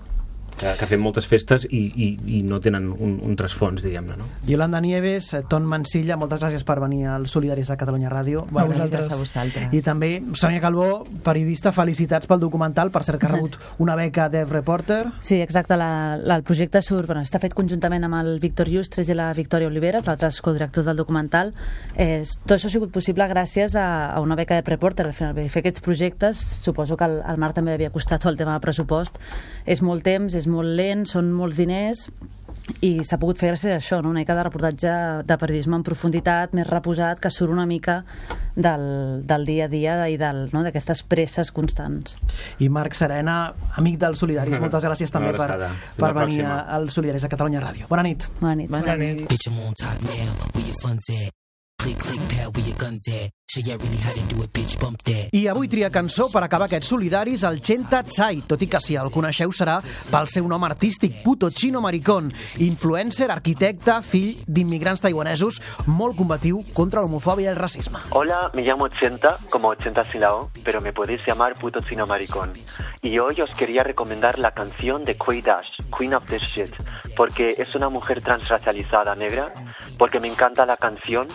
que, que fem moltes festes i, i, i no tenen un, un trasfons, diguem-ne, no? Yolanda Nieves, Ton Mansilla, moltes gràcies per venir als Solidaris de Catalunya Ràdio. A vosaltres. A vosaltres. I també Sònia Calbó, periodista, felicitats pel documental, per cert que ha rebut una beca Dev Reporter. Sí, exacte, la, la, el projecte surt, bueno, està fet conjuntament amb el Víctor Llustres i la Victòria Oliveres, l'altres codirectors del documental. Eh, tot això ha sigut possible gràcies a, a una beca Dev Reporter. Al final, fer aquests projectes, suposo que al, al Marc també havia costat tot el tema de pressupost. És molt temps, és molt lent, són molts diners i s'ha pogut fer gràcies a això, no? Una mica de reportatge de periodisme en profunditat, més reposat, que surt una mica del, del dia a dia i del, no? d'aquestes presses constants. I Marc Serena, amic dels Solidaris, moltes gràcies també per, per venir als Solidaris de Catalunya Ràdio. Bona nit. Bona nit. Bona nit. I avui tria cançó per acabar aquests Solidaris el Chenta Tsai, tot i que si el coneixeu serà pel seu nom artístic, Puto Chino Maricón, influencer, arquitecte, fill d'immigrants taiwanesos, molt combatiu contra l'homofòbia i el racisme. Hola, me llamo Chenta, como ochenta sin la O, pero me podéis llamar Puto Chino Maricón. Y hoy os quería recomendar la canción de Quay Dash, Queen of This Shit, porque es una mujer transracializada negra, porque me encanta la canción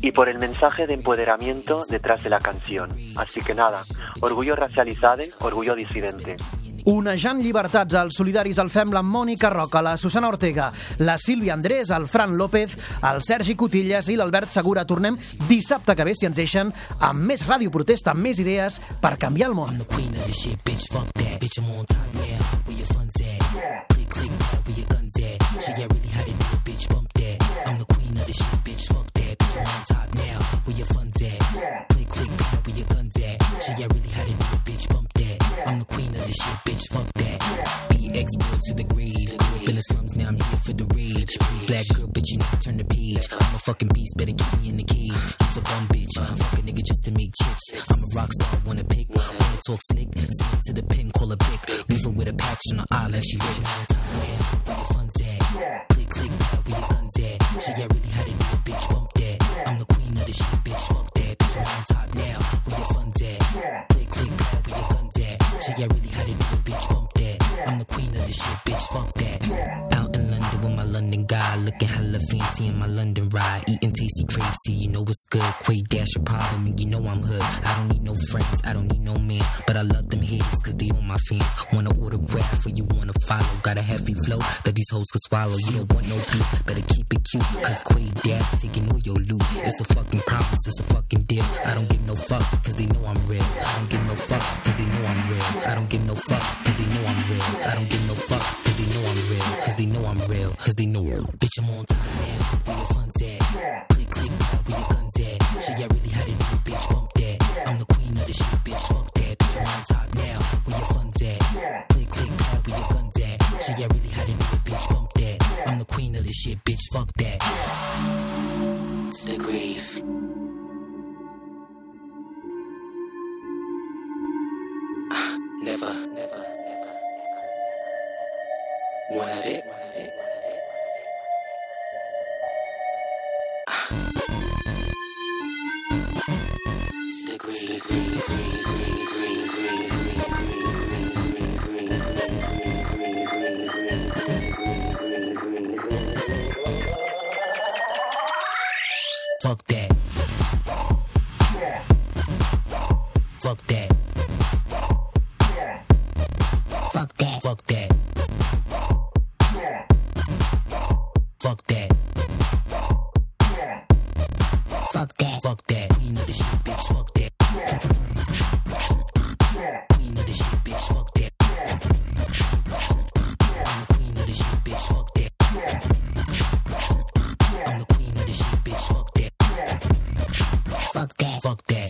y por el mensaje de empoderamiento detrás de la canción. Así que nada, orgullo racializado, orgullo disidente. Onejant llibertats als Solidaris el fem la Mònica Roca, la Susana Ortega, la Sílvia Andrés, el Fran López, el Sergi Cotillas i l'Albert Segura. Tornem dissabte que ve, si ens deixen, amb més ràdio protesta, amb més idees per canviar el món. I'm the queen of the shit, bitch, fuck that. B X boy to the grade. Grew up in the slums, now I'm here for the rage. Black girl, bitch, you never turn the page. I'm a fucking beast, better keep me in the cage. You's a bum bitch, fuck a nigga just to make chips. I'm a rock star, wanna pick, wanna talk slick. Send to the pin, call a pick. Leave her with a patch on her eye like she rich. Where your fun's at? Click, click, where your guns at? She got really how to do it, bitch, bump that. I'm the queen of the shit, bitch, fuck that. Bitch, I'm on top now, where your fun's at? Click, click, where your guns at? She got really how to do it, bitch, bump that. I'm the queen of the shit, bitch, fuck that. Out in London with my London guy, looking hella fancy in my London ride, eating tasty crepes, see, you know what's good. Quay Dash a problem, and you know I'm hood. I don't need no friends, I don't need no man, but I love them haters, cause they on my fans. Wanna autograph or you wanna follow, got a heavy flow that these hoes could swallow. You don't want no beef, better keep it cute, cause Quay Dash taking all your loot. It's a fucking promise, it's a fucking deal. I don't give no fuck, cause they know I'm real. I don't give no fuck, cause they know I'm real. I don't give no fuck, cause they know I'm real. I don't give no fuck, cause they know I'm real. Cause they know I'm real, cause they know I'm bitch, I'm on time now, where your fun's at? Click, click, where your guns at? She got really how to do it, bitch, bump that. I'm the queen of the shit, bitch, fuck that. Bitch, I'm on top now, where your fun's at? Click, click, where your guns at? She got really how to do it, bitch, bump that. I'm the queen of the shit, bitch, fuck Fuck that. Fuck that. Fuck that. Fuck that. Fuck that. Fuck that. Fuck that. Queen of the shit, bitch. Fuck that. Queen of the shit, bitch. Fuck that. I'm the queen of the shit, bitch. Fuck that. I'm the queen of the shit, bitch. Fuck that. Fuck that. Fuck that.